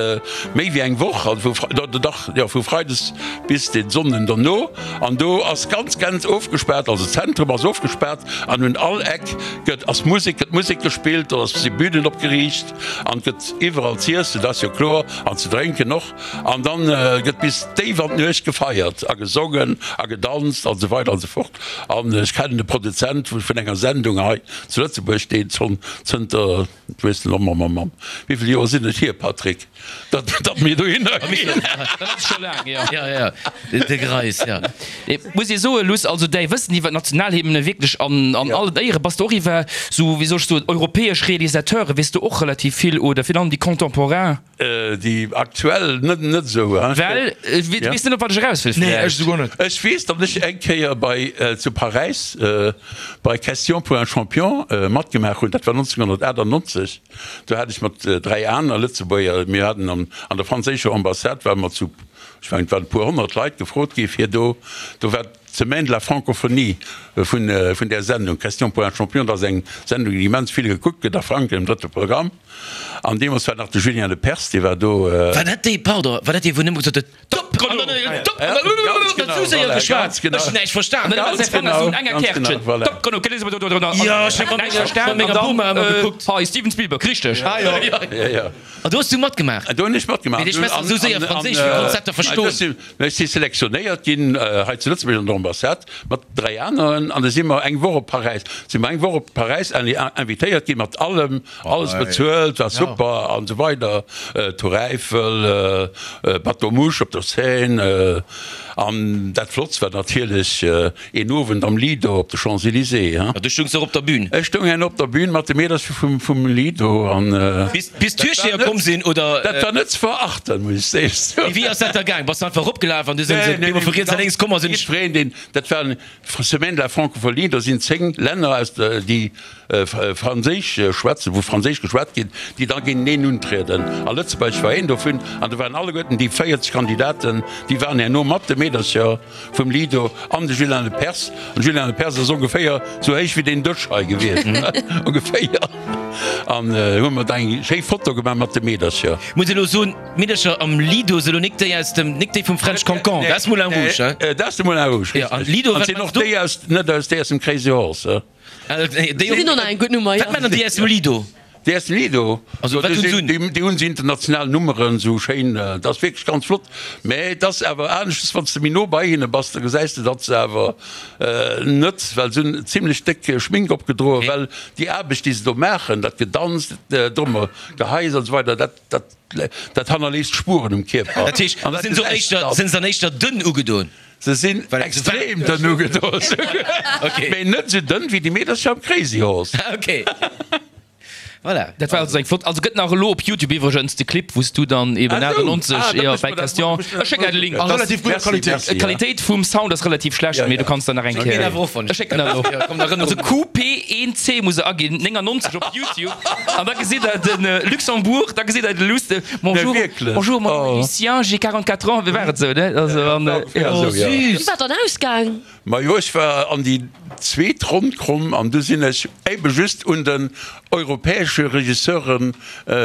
méi wéi eng Woch, also vu, dach, jo, vu Freides bis den Sonnden derno. An do ass ganz Gent ofgespaart, also d'Zentrum ass ofgespaart an un all Eck gëtt, ass Musek, gëtt Musek gespillt, do ass si Bünen opgeriicht an gëtt iwwerall z'iessen, dat ass jo kloer, an ze drénken och. An dann gëtt bis déif an d'Nuecht gefeiert a gesongen a gedanzt an esou weider an esou fort. An ech kennen de Produzent vun enger Sendung hei, zu Lëtzebuerg, deen schonn zënter, ech weess net, mammamamm, wéi vill Joer sinn et hier, Patrick, datt, datt mir dohinner ginn. Dat ass scho laang, jo. Ja, ja, de Greis, ja. Et muss ee soen, Luss, also däi Wëssen iwwer d'Nationalhymne wierklech an, an allen Éieren. Bass de och iwwer sou, wéi soll ech soen, europäesch Realisateure weess de och relativ vill oder virun allem déi Contemporain? Déi aktuell net net esou. Well du weess net op wat ech eraus wëll Nee, ech vläicht. esouguer net. Ech weess, datt ech eng Kéier bei zu Paräis bei Questions pour un champion matgemaach hunn. Dat war nonzénhunnertachtannonzeg. Do hat ech mat dräi aner Lëtzebuerger, mir haten an an der franséischer Ambassade ware mer zu, ech mengen et waren e puer honnert Leit gefrot gi fir do, do war d'Semaine de la francophonie vun vun där Sendung Questions pour un champion. Dat ass eng Sendung déi immens vill gekuckt gëtt a Frankräich am drëtte Programm. An deemools war nach de Julien Lepers, dee war do. War dat dee, pardon, war dat dee wou nëmme gesot huet, Top Chrono! Top Chrono! Ganz genau, voilà, ganz genau. Ech hunn näischt verstan. Ganz genau, ganz genau, voilà. Top Chrono! Jo, ech hu mat menger Boma ëmmer gekuckt. Hei, Steven Spielberg, richteg. Ah jo. Ja, ja. An do hues du matgemaach? Do hunn ech matgemaach. Mee dee schwätzt esou séier Franséisch, wéi konns dat da verstoen? Ech si selektionéiert ginn hei zu Lëtzebuerg an der Ambassade mat dräi aneren an da si mer eng Woch op Paräis, si mer eng Woch op Paräis invitéiert ginn mat allem, alles bezuelt, war super an esou weider, Tour Eiffel, Bateau Mouche op der Seine an dat Flottst war natierlech een Owend am Lido op de Champs-Élysées. A du stoungs och op der Bühn? Ech stoung herno op der Bühn mat de Meedercher vum vum Lido an. Bis bis d'Türsteher komm sinn, oder? Dat war net ze verachten, muss ech soen. Mee wéi ass dat da gaang? Bass du einfach eropgelaf an du sinn se op eemol vu riets a lénks komm a sinn. Jiddwereen deen, dat war Semaine de la Francophonie, do sinn zéng Länner aus der, déi Franséisch schwätzen, wou Franséisch geschwat ginn, déi da géinteneen untrieden. A Lëtzebuerg war een dovun. An do waren alleguerten déi véierzeg Kandidaten, déi waren herno mat de Meedercher vum Lido an de Julien Lepers. An de Julien Lepers ass ongeféier sou héich wéi deen Dësch hei gewiescht, ongeféier. An hu mer da eng schéi Foto gemaach mat de Meedercher. Muss elo soen, d'Meedercher am Lido se elo nik déi aus dem, nik déi vum French Cancan, dat ass Moulin Rouge, hein? Dat ass de Moulin Rouge, richteg. An Lido, An wat sinn machs och du? déi aus, net aus déi aus dem Crazy Horse, hein? Déi sinn och nach eng gutt Nummer, jo. Wat maachen déi aus dem Lido? Déi aus dem Lido? Also wat hunn se un? Déi hunn esou international Nummeren, esou schéin, dat ass wierklech ganz flott. Mä et ass awer aneschters, wann s de méi no bei hinne bass, da gesäis de, datt se awer net, well se hunn zimlech déck Schmink opgedroen, well déi Aarbecht, déi se do maachen, dat Gedanz, dat Drummer, Geheis an esou weider, dat, dat, dat hannerléisst Spueren um Kierper. Dat heescht, sinn se éischter, sinn se dann éischter dënn ugedoen? Se sinn extrem dënn ugedoen, mee net esou dënn wéi déi Meedercher am Crazy Horse. Ok, voilà. Dat war also eng flott, also gëtt nach elo op Youtube iwwregens de Clip wou s du dann eben achtannonzeg jo bei Question, ech schécken der de Link. A relativ gudder Qualitéit. D'Qualitéit vum Sound ass relativ schlecht, mee du kanns der nach eng Kéier, ech schécken der elo. Also Q P een C muss e aginn, néngannonzeg op Youtube an da gesitt der de Luxembourg, da gesitt der de Luss, de Bonjour, bonjour, mon nom est Lucien, j'ai quarante-quatre ans, wéi war et esou, ne? Also an jo. Oh süß! Wéi war dann ausgaang? Majo, ech war an déi zweet Ronn komm an du sinn ech éibe just un den europäesche Regisseuren,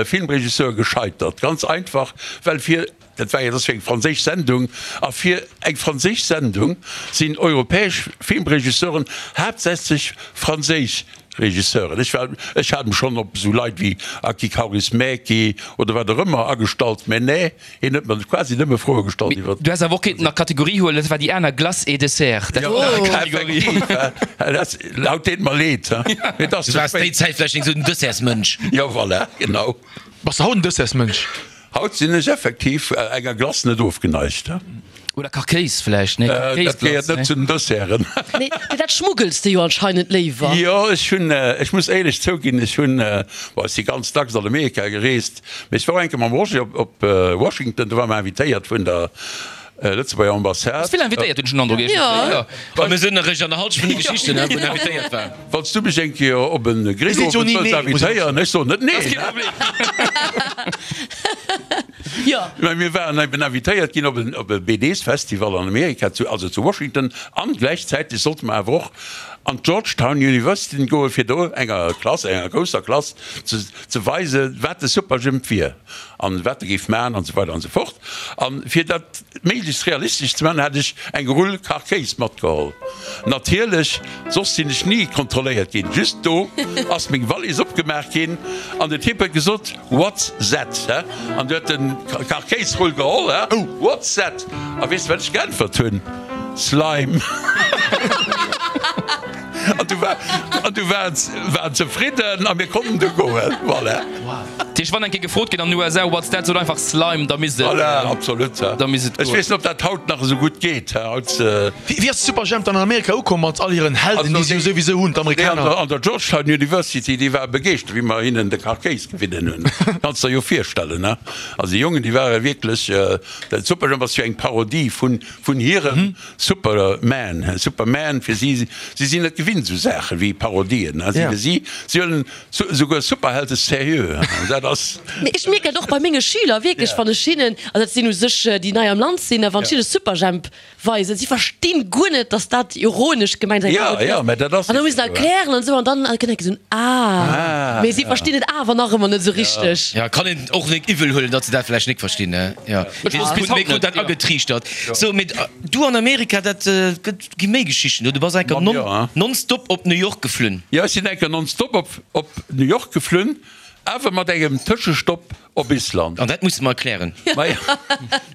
Filmregisseure gescheitert. Ganz einfach, well fir, dat war jo, dat ass jo eng franséisch Sendung, a fir eng franséisch Sendung sinn europäesch Filmregisseuren haaptsächlech franséisch Regisseuren. Ech war, ech hat mech schonn op esou Leit wéi Aki Kaurismäki oder wat och ëmmer agestallt, mä nee, hien huet mer quasi nëmme Froe gestallt iwwer. Du häss awer och kéinten nach Kategorie huelen, dat war déi aner Glace et Dessert. Dat war och nach eng Kategorie. Effektiv, haut deet mer leed, mee et ass Du ze waars déi spéit. Zäit vläicht eng esou den Dessertsmënsch. Jo, voilà, genau. Bass de haut en Dessertsmënsch? Haut sinn ech effektiv enger Glace net ofgeneigt. Oder Kachkéis vläicht, nee? Dat gehéiert net zu den Desserten. Nee, mee dat schmuggels de jo anscheinend léiwer. Jo, ech hunn, ech muss éierlech zouginn, ech hunn, bon, ech si ganz dacks an Amerika gereest, mee ech war och eng Kéier mam Roger op, op Washington, do ware mer invitéiert vun der Lëtzebuerger Ambassade. Bass vill invitéiert, hunn ech den Androck iergendwéi, jo. A mir sinn eréischt an der Halschent vun de Geschichten, wou en invitéiert war. Wann s du mech eng Kéier op e Grillowend wëlls invitéieren, ech soen net neen. Mä mir waren eben invitéiert ginn op en op e B Ds-Festival an Amerika, zu, also zu Washington, an gläichzäiteg sollte mer awer och an d'Georgetown University goen, fir do enger Klass, enger grousser Klass ze ze weisen, wat de Superjhemp wier an wat e géif maachen an esou weider an esou fort. An fir dat méiglechst realistesch ze maachen, hat ech eng Rull Kachkéis matgeholl. Natierlech, soss sinn ech ni kontrolléiert ginn. Just do ass meng Wallis opgemaach ginn an den Typ huet gesot, What's that? An du huet den Kachkéisrull geholl, What's that? A weess de wat ech geäntwert hunn? Slime. An du war, an du waren waren zefridden a mir konnten du goen. Voilà. Dat heescht, wann eng Kéier gefrot gëtt an den U S A, What's that? Sot einfach Slime, da misst et. Voilà, absolut. Da misst et Ech goen. weess net, ob dat haut nach esou gutt geet. Haut. Wéi, wéi ass Superjhemp dann an Amerika ukomm mat all hiren Helden, déi si jo souwisou hunn, Déi an d'Amerikaner? der, an der Georgetown University, déi ware begeeschtert, wéi mer hinnen de Kachkéis gewidden hunn. Kanns der jo virstellen, ne? Also déi Jongen, déi ware wierklech, dat Superjhemp ass jo eng Parodie vun, vun hirem Superman. Superman, fir si, si sinn net gewinnt esou Saache wéi Parodien, ne? Si, fir si, si huelen souguer Superhelde sérieux, dat ass. Mee ech mierken dat och bei menge Schüler wierklech, wann ech hinnen, also dat sinn u sech déi nei am Land sinn, a wann ech hinne Superjhemp weisen, si verstinn guer net, dass dat ironesch gemengt ass, eng Parodie ass. An da muss een erklären an esou, an dann kënnt enke esou en Ah, mee si verstinn et awer nach ëmmer net esou richteg. Jo, kann een och nik iwwel huelen, datt se dat vläicht nik verstinn, ne? Jo, Ech wosst bis mir haut krut net, dat jo. agetriichtert. Sou, mee du an Amerika, dat gëtt, gi méi Geschichten, du bass enker Mam, jo. nonstop op New York geflunn. Jo, ech sinn enker nonstop op, op New York geflunn, awer mat engem Tëschestopp op Island. An dat musse mer erklären. Maja,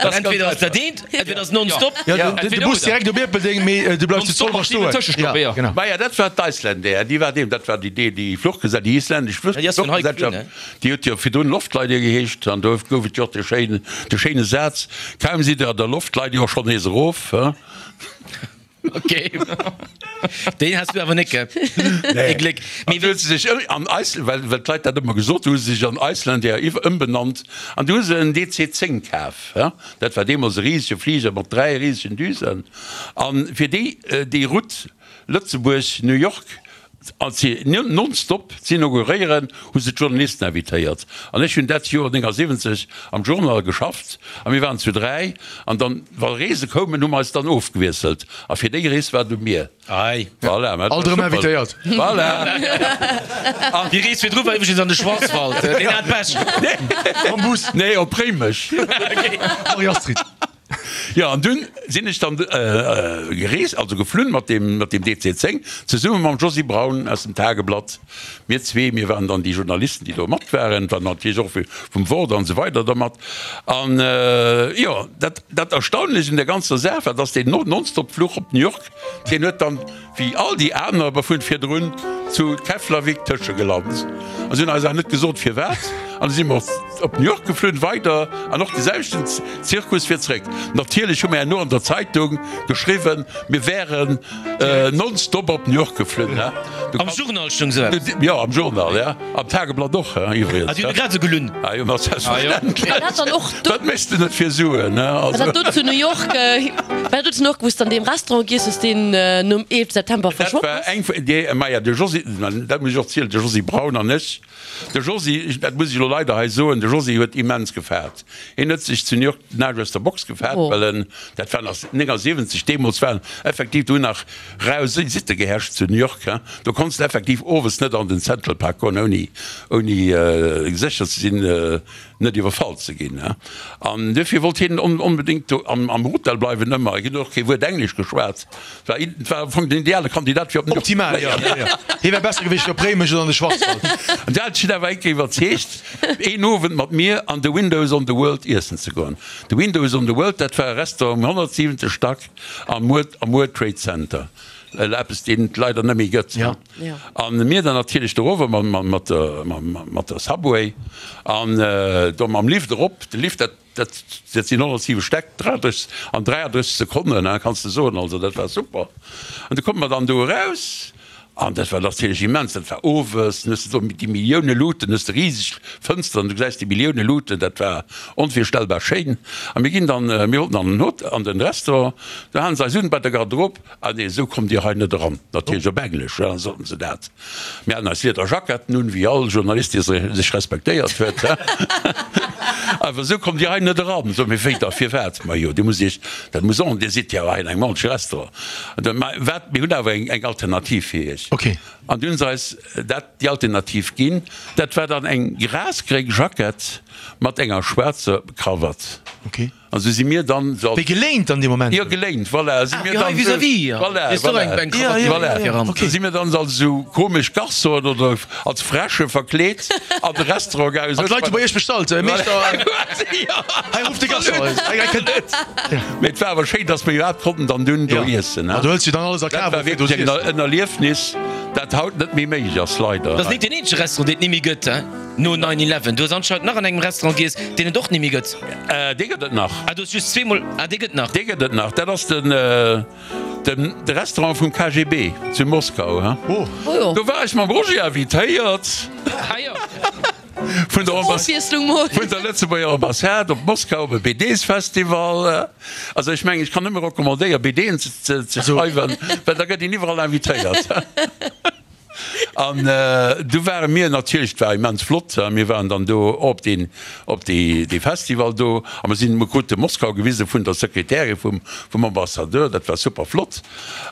Well entweder ass dat eent, entweder ass nonstop. Ja, de, de Bus direkt op Ierpeldeng, mee du bleifs zu Zolwer stoen. Tëschestopp, ja. Genau. Maja, dat war d'Icelandair, déi war deem, dat war déi, déi, déi Fluchgesellschaft, déi isländesch Ja, déi ass vun hei geflunn, Fluchgesellschaft, déi huet jo virdrun Loftleider geheescht, an do gouf et jo och de schéinen, de schéine Saz, Kaum sidd Der an der Loft, leit Dir och schonn nees erof, he? Ok, deen has du awer net, gell? Ee Gléck. Mee huet se sech an Iceland, well, well d'Leit dat ëmmer gesot hu, hu se sech an Icelandair iwwer ëmbenannt an du hu se en D C zéng kaf. Dat war deemools e risege Fliger mat dräi risegen Düsen. An fir déi, déi Route Lëtzebuerg, New York nonstop z'inauguréieren, hu se d'Journalisten invitéiert. An ech hunn dat Joer néngasiwwenzeg am Journal geschafft a mir waren zu dräi. An dann, wa Reese koumen, hu mer eis dann ofgewiesselt. A fir déi Rees war du mir. Ei. Voilà, mä dat Alt war erëm super. invitéiert. Voilà. An déi Rees virdru war iwwregens an de Schwarzwald. Deen hat Pech. Mam Bus. Nee, op Réimech. Marie-Astrid. Jo, an dunn sinn ech dann gereest, also geflunn mat deem, mat deem D C zéng, zesumme mam Josy Braun aus dem Tageblatt. Mir zwee, mir waren dann déi Journalisten, déi do mat waren, et waren natierlech och vum Wort an esou weider da mat. An jo, dat, dat Erstaunlecht un der ganzer Saach war, dass deen Nonstop-Fluch op New York, deen huet dann, wéi all déi aner vun virdrun, zu Keflavik tëschegelant. An si hunn eis awer net gesot firwat. An du si mer op New York geflunn, weider, an och de selwechten Zirkus fir zréck. Natierlech hu mer herno an der Zeitung geschriwwen, mir wären nonstop op New York geflunn. Am Journal stoung sou eppes? Jo, am Journal, ja. Am Tageblatt och, iwwregens. Ah, déi hunn grad sou gelunn. Ah jo, ma selbstverständlech. War dat dann och do? Wat méchs de net fir Suen, ne? War dat do zu New York, war dat do zu New York, wou s de an deem Restaurant giess hues, deen nom eelefte September verschwonn Dat ass? war eng vun, déi, maja, de Josy, dat muss ech och zielen, de Josy Braun an ech, De Josy, dat muss ech elo leider hei soen, de Josy huet immens gefaart. Hien huet sech zu New York den Aarsch aus der Box gefaart, well en, dat war nach néngasiwwenzeg, deemools waren effektiv do nach rau Sitte geherrscht zu New York, hein. Do konns de effektiv owes net an den Central Park goen, ouni, ouni sécher ze sinn, net iwwerfall ze ginn. An duerfir wollt hien onbedéngt do am Hotel bleiwen ëmmer. Hien huet och kee Wuert Englesch geschwat. War war am Fong den ideale Kandidat fir op den Optimal, jo. Hie wär besser gewiescht op Réimech oder an de Schwarzwald. An dat hat hien awer eng Kéier iwwerzeegt, een Owend mat mir an de Windows on the World iessen ze goen. De Windows on the World, dat war e Restaurant um honnertsiwente Stack am World Trade Center. Eppes deen et leider net méi gëtt. An mir dann natierlech dorower mat der Subway an do mam Lift erop. De Lift, dat dat sinn honnertsiwe Stäck, an dräiandrësseg Sekonnen, kanns de soen. Also dat war super. An du komme mer dann do eraus an dat war natierlech immens. Dat war owes, dann hues de do déi Millioune Luuten, hues de riseg Fënsteren, du gesäis déi Millioune Luuten, dat war onvirstellbar schéin. A mir ginn dann, mir wollten an den Hot, an den Restaurant, do halen se eis un bei der Garderobe, Ah nee, esou kommt Dir hei net eran. Natierlech op Englesch, ja, soten se dat. Mir haten eis Liederjacketten un, wéi all Journalist, dee sech respektéiert huet, he. Awer esou kommt Dir hei net eran. Soe mir, wéi da, firwat? Majo, Dir musst Iech, dat muss och, Dir sidd jo hei an engem ordentleche Restaurant. An da, ma wat, mir hunn awer eng, eng Alternativ fir Iech. Okay. An du hunn se eis dat, déi Alternativ ginn. Dat war dann eng grasgréng Jackett mat enger schwaarzer Krawatt. Okay. An sou si mir dann sou als. Wéi geléint dann dee Moment? Jo, geléint, voilà. Si mir dann sou. Vis-à-vis, voilà, Hues du och eng eng Krawatt voilà, viran? Ok. Si mir dann sou als sou komesch Garçonen oder als Fräsche verkleet an de Restaurant gaangen. An d'Leit hu bei iech bestallt, Meeschter, hei rufft de Garçon. Hei kënnt. Mee et war awer schéin, dass mir iwwerhaapt konnten dann dunn do iessen. Jo, du hëls jo dann alles a Dat Kaf war och fir do wierklech z'iessen. en Erliefnis, dat haut net méi méiglech ass, leider. Dat ass net deen eenzege Restaurant, deen et ni méi gëtt, hein? No nine eleven. Du hues anscheinend nach an engem Restaurant giess, deen et och ni méi gëtt. Dee gëtt et nach. Ah, du hues just zweemol. Ah, dee gëtt nach. Dee gëtt et nach. Dat ass den, den, de Restaurant vum K G B zu Moskau, hein. Oh. Do war ech mam Roger invitéiert. Ah jo. Vun der Ambass, Ofwiesslung mol. vun der Lëtzebuerger Ambassade op Moskau op e B Ds-Festival. Also ech mengen, ech kann nëmme recommandéieren, B Dën ze, ze, ze schreiwen, well da gëtt een iwwerall invitéiert. An du ware mir natierlech, et war immens flott, mir waren dann do op deen, op dee, dee Festival do a mer sinn, mer krute Moskau gewise vun der Sekretärin vum, vum Ambassadeur, dat war super flott.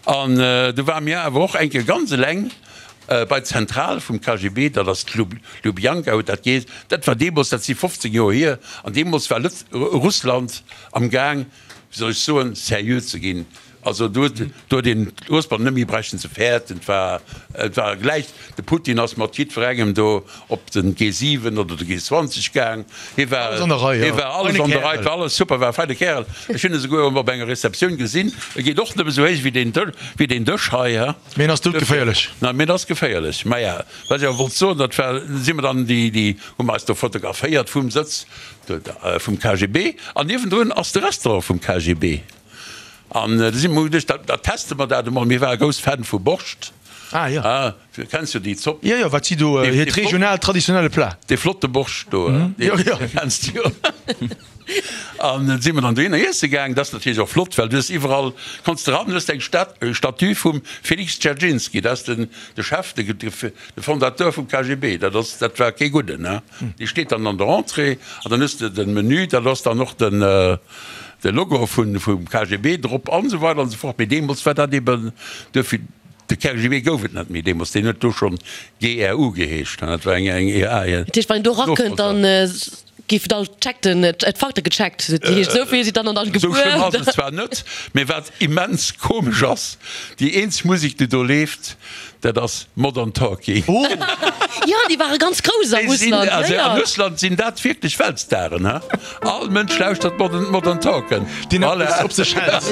An du ware mir awer och eng Kéier ganz eleng bei d'Zentral vum K G B, dat ass d'Lubjanka huet dat geheescht. Dat war deemools, dat si fofzéng Joer hier, an deemools war Lëtz, Russland am Gaang, wéi soll ech soen, seriö ze ginn. Also do huet do huet een d'Ursper net méi bräichten ze fäerten. Et war et war gläich, de Putin ass mat jiddwerengem do op den G siwen oder de G zwanzeg gaang. Hie war Alles an der Rei, hie ja. war alles Feine an der Rei, et Kärel. war alles super, war e feine Kärel. Ech hunn e souguer op enger Receptioun gesinn. E geet och nëmme sou héich wéi deen Dësch wéi deen Dësch hei, he. Mee en ass doudgeféierlech. Nei, mee en ass geféierlech. Maja, wat ech awer wollt soen, dat war, si mer dann déi déi hu mer eis do fotograféiert vum Sëtz vum K G B an niewendrun ass de Restaurant vum K G B. An du si mer geduecht, da, da teste mer dat emol. Mir ware grouss Fan vu Borscht. Ah, jo. Ah, du kenns jo déi Zopp. Jo, jo, wat si do, Dee, hiert dee flott, regionaalt traditionelle Plat. dee flotte Borscht do, dee, Jo, jo. dee kenns du jo. An du si mer dann dohinner iesse gaang. Dat ass natierlech och flott, well du hues iwwerall, konns de ran, du hues eng Stat, Statue vum Felix Dzerzhinsky, dat ass den, de Chef, de, de, de Fondateur vum K G B. Dat ass, dat war kee Gudden, ne? Dee steet dann an der Entrée an dann hues de den Menü, dat ass dann och den, de Logo vun, vum K G B drop an esou weider an esou fort. Mee deemools war dat eben, duerfir, de K G B gouf et net méi deemools, deen huet do schonn G R U geheescht, dat war eng, eng, ja, ja, Dat heescht, wann een do erakënnt, dann géif et all checkt, den, d'Fakte gecheckt. Dat heescht, esou vill si dann an dann Esou schlëmm ass gebuer. et zwar net, mee wat immens komesch ass, déi eenzeg Musek, déi do leeft, dat ass Modern Talking. Oh! Jo, déi ware ganz grouss a Déi sinn, Russland, jo, also jo. a Russland sinn dat wierklech Weltstaren, he? All Mënsch lauschtert Modern, Modern Talking. Deen Voilà. eppes op sech hält.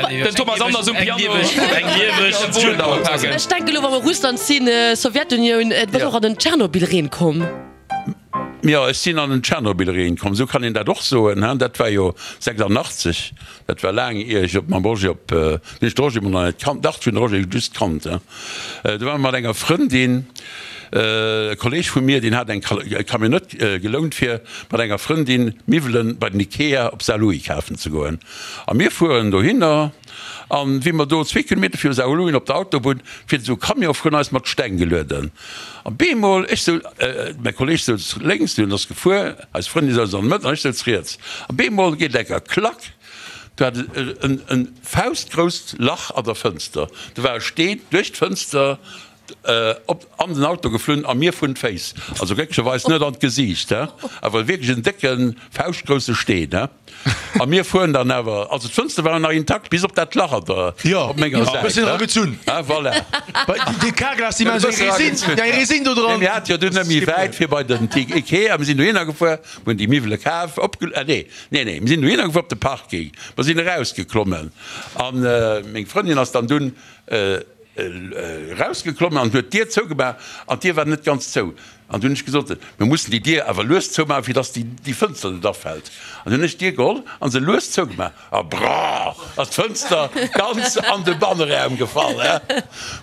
Den Thomas Anders um Eng Piano. lieweg, eng lieweg Genau. Ech denke elo, wa mer Russland sinn, Sowjetunioun, et bass Ja. och an den Tschernobyl-Reen komm. Jo, ech sinn an den Tschernobyl-Reen komm, esou kann een dat och soen, hein. Dat war jo sechsandachtzeg, dat war laang ier ech op mam Roger op, hunn ech de Roger emol nach net kannt, dach, ech hunn de Roger just kannt, hein. Do ware mer mat enger Frëndin, e Kolleg vu mir, deen hat eng Camionnette gelount fir mat enger Frëndin Miwwelen bei den Ikea op Saarlouis kafen ze goen. A mir fueren dohinner, an wéi mer do zwee Kilometer viru Saarlouis op der Autobunn, fiert esou e Camion vrun eis mat Steng gelueden. An bemol, ech sou, mäi Kolleg souz lénks, deen ass gefuer, eis Frëndin souz an der Mëtt an ech souz riets. An bemol geet enker klack, do hat et en en faustgrousst Lach an der Fënster. Do war e Steen duerch d'Fënster op an den Auto geflunn a mir vrun d'Féiss. Also glécklecherweis net an d'Gesiicht, he, awer wierklech en décken, fauschtgrousse Steen, he. A mir fueren dann awer, also d'Fënster waren nach intakt, bis op dat Lach an der, Jo, op menger e Säit, bëssen he. eragezunn. He, voilà. Dee Carglass, déi maachen esou eng Résine, eng Résine do Nee, dran. mir hate jo dunn net méi wäit fir bei den Ikea. Mir sinn dohinner gefuer, mir hunn déi Miwwele kaf, opge, ah nee, nee, nee, mir sinn dohinner gefuer op de Parking, mer sinn erausgeklommen an meng Frëndin ass dann dunn erausgeklommen an huet d'Dier zougemaach an d'Dier war net ganz zou. An dunn hunn ech gesot, mir mussen déi Dier awer lues zoumaachen, fir dass déi Fënster net afält. An dunn hunn ech d'Dier geholl an se lues zougemaach a brrr ass d'Fënster ganz an de Banneraum gefall.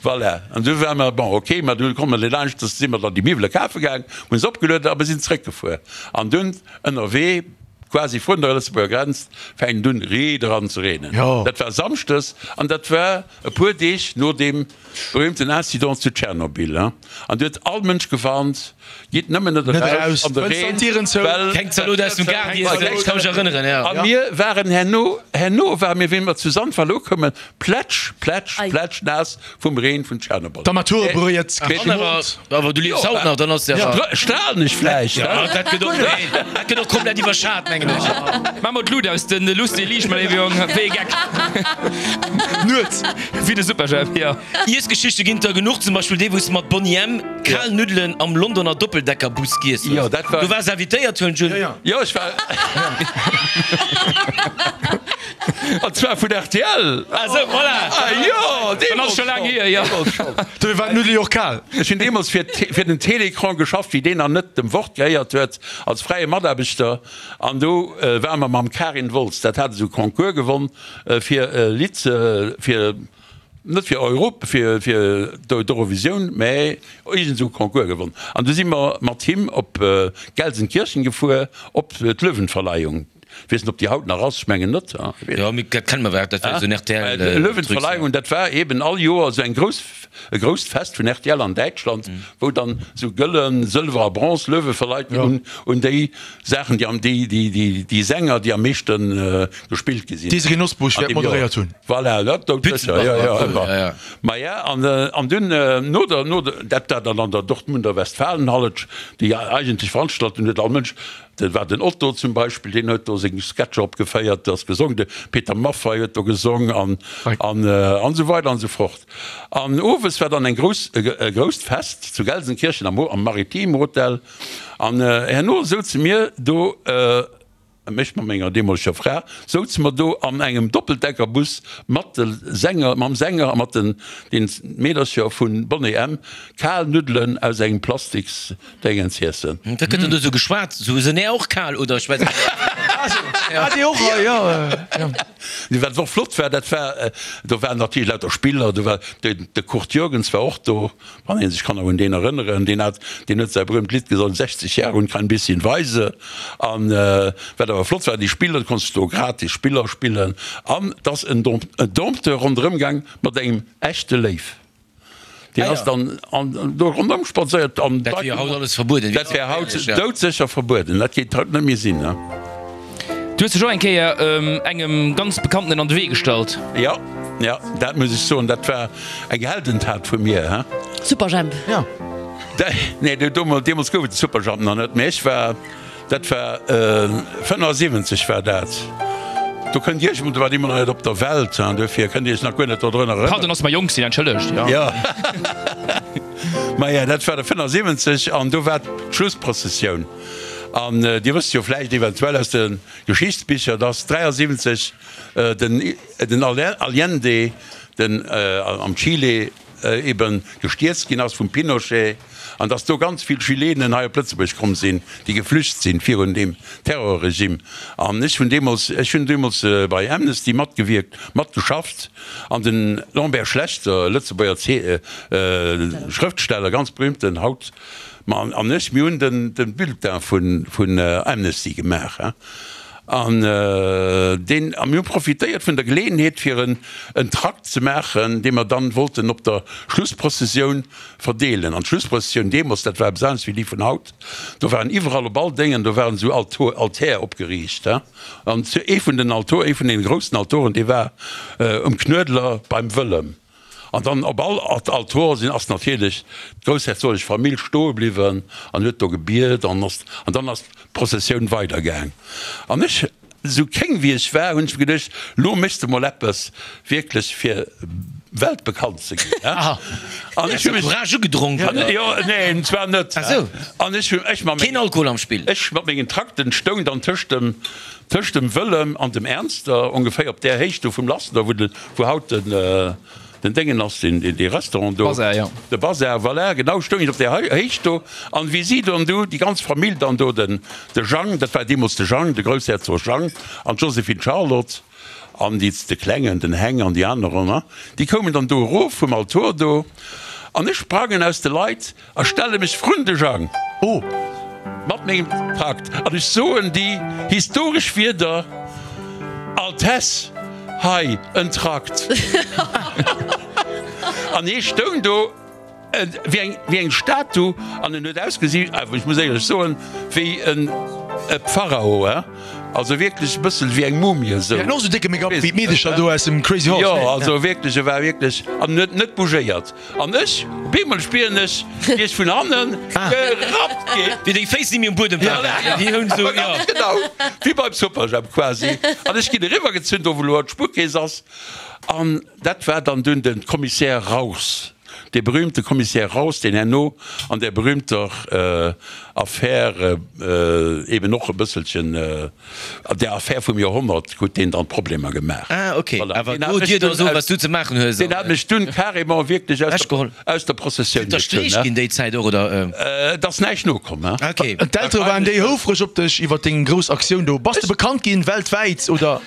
Voilà. An du ware mer, bon, ok, mä du komme mer laanscht, da si mer dann déi Miwwele kafe gaang, hunn se opgelueden a mir sinn zréckgefuer. An dunn ënnerwee, quasi vrun der Lëtzebuerger Grenz, fänkt dunn riit eran ze reenen. Dat war samschdes an dat war e puer Deeg no deem berühmten Incident zu Tschernobyl. An du huet all Mënsch gewarnt, Gitt nëmmen net eraus an de Reen, well. Keng Zalot aus dem Gaart iessen, ech ka mech erënneren, jo. A mir waren herno, herno ware mir, wéi mer zu Sandwall ukoumen, plätsch, plätsch, plätsch naass vum Reen vun Tschernobyl. D'Armaturebréit gemoolt. Awer du liefs haut nach, dann ass jo. Strahlen ech vläicht? Jo, dat gëtt och, dat gëtt och komplett iwwerschat, mengen. mengen ech. Maach mol d'Lut aus, den luuss dee liicht, mäi léiwe Jong, wéi e Geck. Nuets. Wéi de Superjhemp, jo. Iessgeschichte ginn der genuch, zum Beispill déi, wou s de mat Boney M. kal Nuddelen am Londoner Doppeldeckerbus giess hues. Jo, dat war. Du waars invitéiert, huelen ech un. Jo, ech war. An zwar vun rtl. Ah sou, voilà. Ah jo, Dann ass deemools scho laang schonn. hier, jo. Deemools schonn. Dofir war d'Nuddel jo och kal. Ech hunn deemools fir fir den Télécran geschafft, wéi deen nach net dem Wort gehéiert huet, als fräie Mataarbechter. An do ware mer mam Karin Wolz, dat hat esou Concours gewonn fir e Lidd ze, fir, net fir Europ, fir fir d'Eurovisioun, mä iergend esou Concours gewonn. An du si mer mat him op Gelsenkirchen gefuer op d'Löwenverleihung. Weess net op déi haut nach ass, ech mengen net. Jo, mee dat kenne mer, dat war esou en R T L Truc. Löwenverleihung, dat war eben all Joer esou eng grouss, e grousst Fest vun R T L an Däitschland, wou dann esou gëllen, Sëlwer a Bronze Löwe verleit ginn un, un déi Saachen, déi am, déi, déi, déi, déi Sänger, déi am meeschte gespillt gi sinn. D'Désirée Nosbusch An wäert deem Joer. moderéiert hunn. Voilà, dat doudsécher, jo, jo, ëmmer. Maja, an, an dunn no der, no der, dat war dann an der Dortmunder Westfalenhalle, déi eigentlech Veranstaltung huet all Mënsch, Dat war den Otto zum Beispill, deen huet do seng Sketcher opgeféiert, ass gesong, de Peter Maffay huet do gesong an an an esou weider an esou fort. An owes war dann eng grouss e grousst Fest zu Gelsenkirchen am am Maritim Hotel an herno souze mir do, ech mat menger deemoleger Fra, souze mer do an engem Doppeldeckerbus mat de Sänger, mam Sänger a mat den den Meedercher vun Boney M. Kal Nuddelen aus engem Plastiks Déngens iessen. Wat gëtt dann do sou geschwat? Sou, sinn är och kal oder ech weess net. Ah, déi och, jo, jo. Wat och flott war, dat war, do waren natierlech lauter Spiller, do war de, de Kurt Jürgens war och do, wann ee sech kann nach un deen erënneren, deen hat, deen huet säi berühmt Lidd gesongen, sechzig Jahre und kein bisschen weise. An wat awer flott war, déi Spiller, du konns do gratis Spiller spillen an 't ass en Dompteur ronderëm gaang mat engem echte Léiw. Deen ass dann do ronderëm spadséiert an Dat wier haut alles verbueden. Dat wär haut doudsécher verbueden. Dat géif haut net méi sinn. Du hues dech och eng Kéier engem ganz Bekanntenen an de Wee gestallt. Jo, jo, dat muss ech soen, dat war eng Heldentat vu mir, he. Superjhemp. Jo. Nee, deemools gouf et de Superjhemp nach net, mee ech war. Dat war fënnefasiwwenzeg war dat. Do kënnt Dir Iech, do waart Dir nach net op der Welt, hein, duerfir kënnt Dir Iech nach guer net dodrun erënneren. Pardon, dass mer jonk sinn, entschëllegt, jo. Jo. Maja, dat war de fënnefasiwwenzeg an do war d'Schlussprozessioun. An Dir wësst jo vläicht eventuell aus de Geschichtsbicher, dass dräiasiwwenzeg den, den Allende, den am Chile eben gestierzt ginn ass vum Pinochet an dass do ganz vill Chilenen hei op Lëtzebuerg komm sinn, déi geflücht sinn virun deem Terrorregime. An ech hunn deemools, ech hunn deemools bei Amnesty matgewierkt, matgeschafft an de Lambert Schlechter, Lëtzebuerger Schrëftsteller, ganz berühmten haut, ma an ech, mir hunn den Bulletin vun Amnesty gemaach. An deen, a mir hu profitéiert vun der Geleeënheet, fir en en Trakt ze maachen, dee mer dann wollten op der Schlussprozessioun verdeelen. An d'Schlussprozessioun deemools, dat war eppes anescht wéi déi vun haut, do waren iwwerall op all Déngen, do waren esou Alto, Altär opgeriicht, he. An ee vun den Altor, ee vun deene groussen Altoren, dee war um Knuedler beim Wëllem. An dann op all Altor sinn, ass natierlech d'groussherzoglech Famill stoe bliwwen an huet do gebiet an ass, an dann ass d'Prozessioun weidergaang. An ech, esou kéng wéi ech war, hunn ech mir geduecht, lo méchs de mol eppes wierklech fir weltbekannt ze ginn, he. An ech hu mech. Courage ugedronk, oder? Jo, neen, zwar net. Ach sou. An ech hu, ech mat Keen mengen. Alkohol am Spill? Ech mat mengen Trakten stoung dann tëscht dem, tëscht dem Wëllem an dem Ernster, ongeféier op där Héicht do vum Lassner, wou de, wou haut den, Den Déngen ass deen, dee Restaurant do. Bazar, jo. De Bazar, voilà, genau, stoung ech op där Héicht do. An wéi si dann do, déi ganz Famill dann do, den, de Jang, dat war deemools de Jang, de Groussherzog Jang, an d'Joséphine Charlotte, an déi, de Klengen, den Heng an déi aner, déi koumen dann do erof vum Altor do. An ech sprangen aus de Leit a stelle mech vrun de Jang. Oh! Mat mengem Trakt. An ech soen déi historesch Wierder, Altesse, hei en Trakt. An hie stoung do wéi eng, wéi eng Statu an en huet ausgesi, awer ech muss éierlech soen, wéi en Pharao, he. Also wierklech e bëssel wéi eng Mumie esou. Hien hat och esou décke Make-up wéi d'Meedecher do aus dem Crazy Horse. Jo, also wierklech, e war wierklech, an huet net bougéiert. An ech, op eemol spieren ech, wéi ech vun hannen gerappt ginn. Wéi deng Féiss ni méi um Buedem waren. Déi hunn esou, jo. Ganz genau, wéi beim Superjhemp quasi. An ech ginn eriwwergezunn, do wou elo d'Spuerkeess ass. An dat war dann dunn de Commissaire Raus. Dee berühmte Commissaire Raus, deen herno an där berühmter Affär eben och e bësselchen, an där Affär vum Joerhonnert, huet deen dann Problemer gemaach. Ah, ok. Voilà. Awer Deen hat do mech dir da dunn soen, aus, wat s du ze maachen hues deen an. hat mech dunn carrément wierklech aus der, Ewechgeholl. aus der Prozessioun Sinn der gezunn, Streech ne? ginn déi Zäit och, oder? Et ass näischt nokomm, hein. Ah, ok. An d'Eltere waren déi houfreg op dech iwwer deng grouss Aktioun do? Bass de bekannt ginn weltwäit, oder?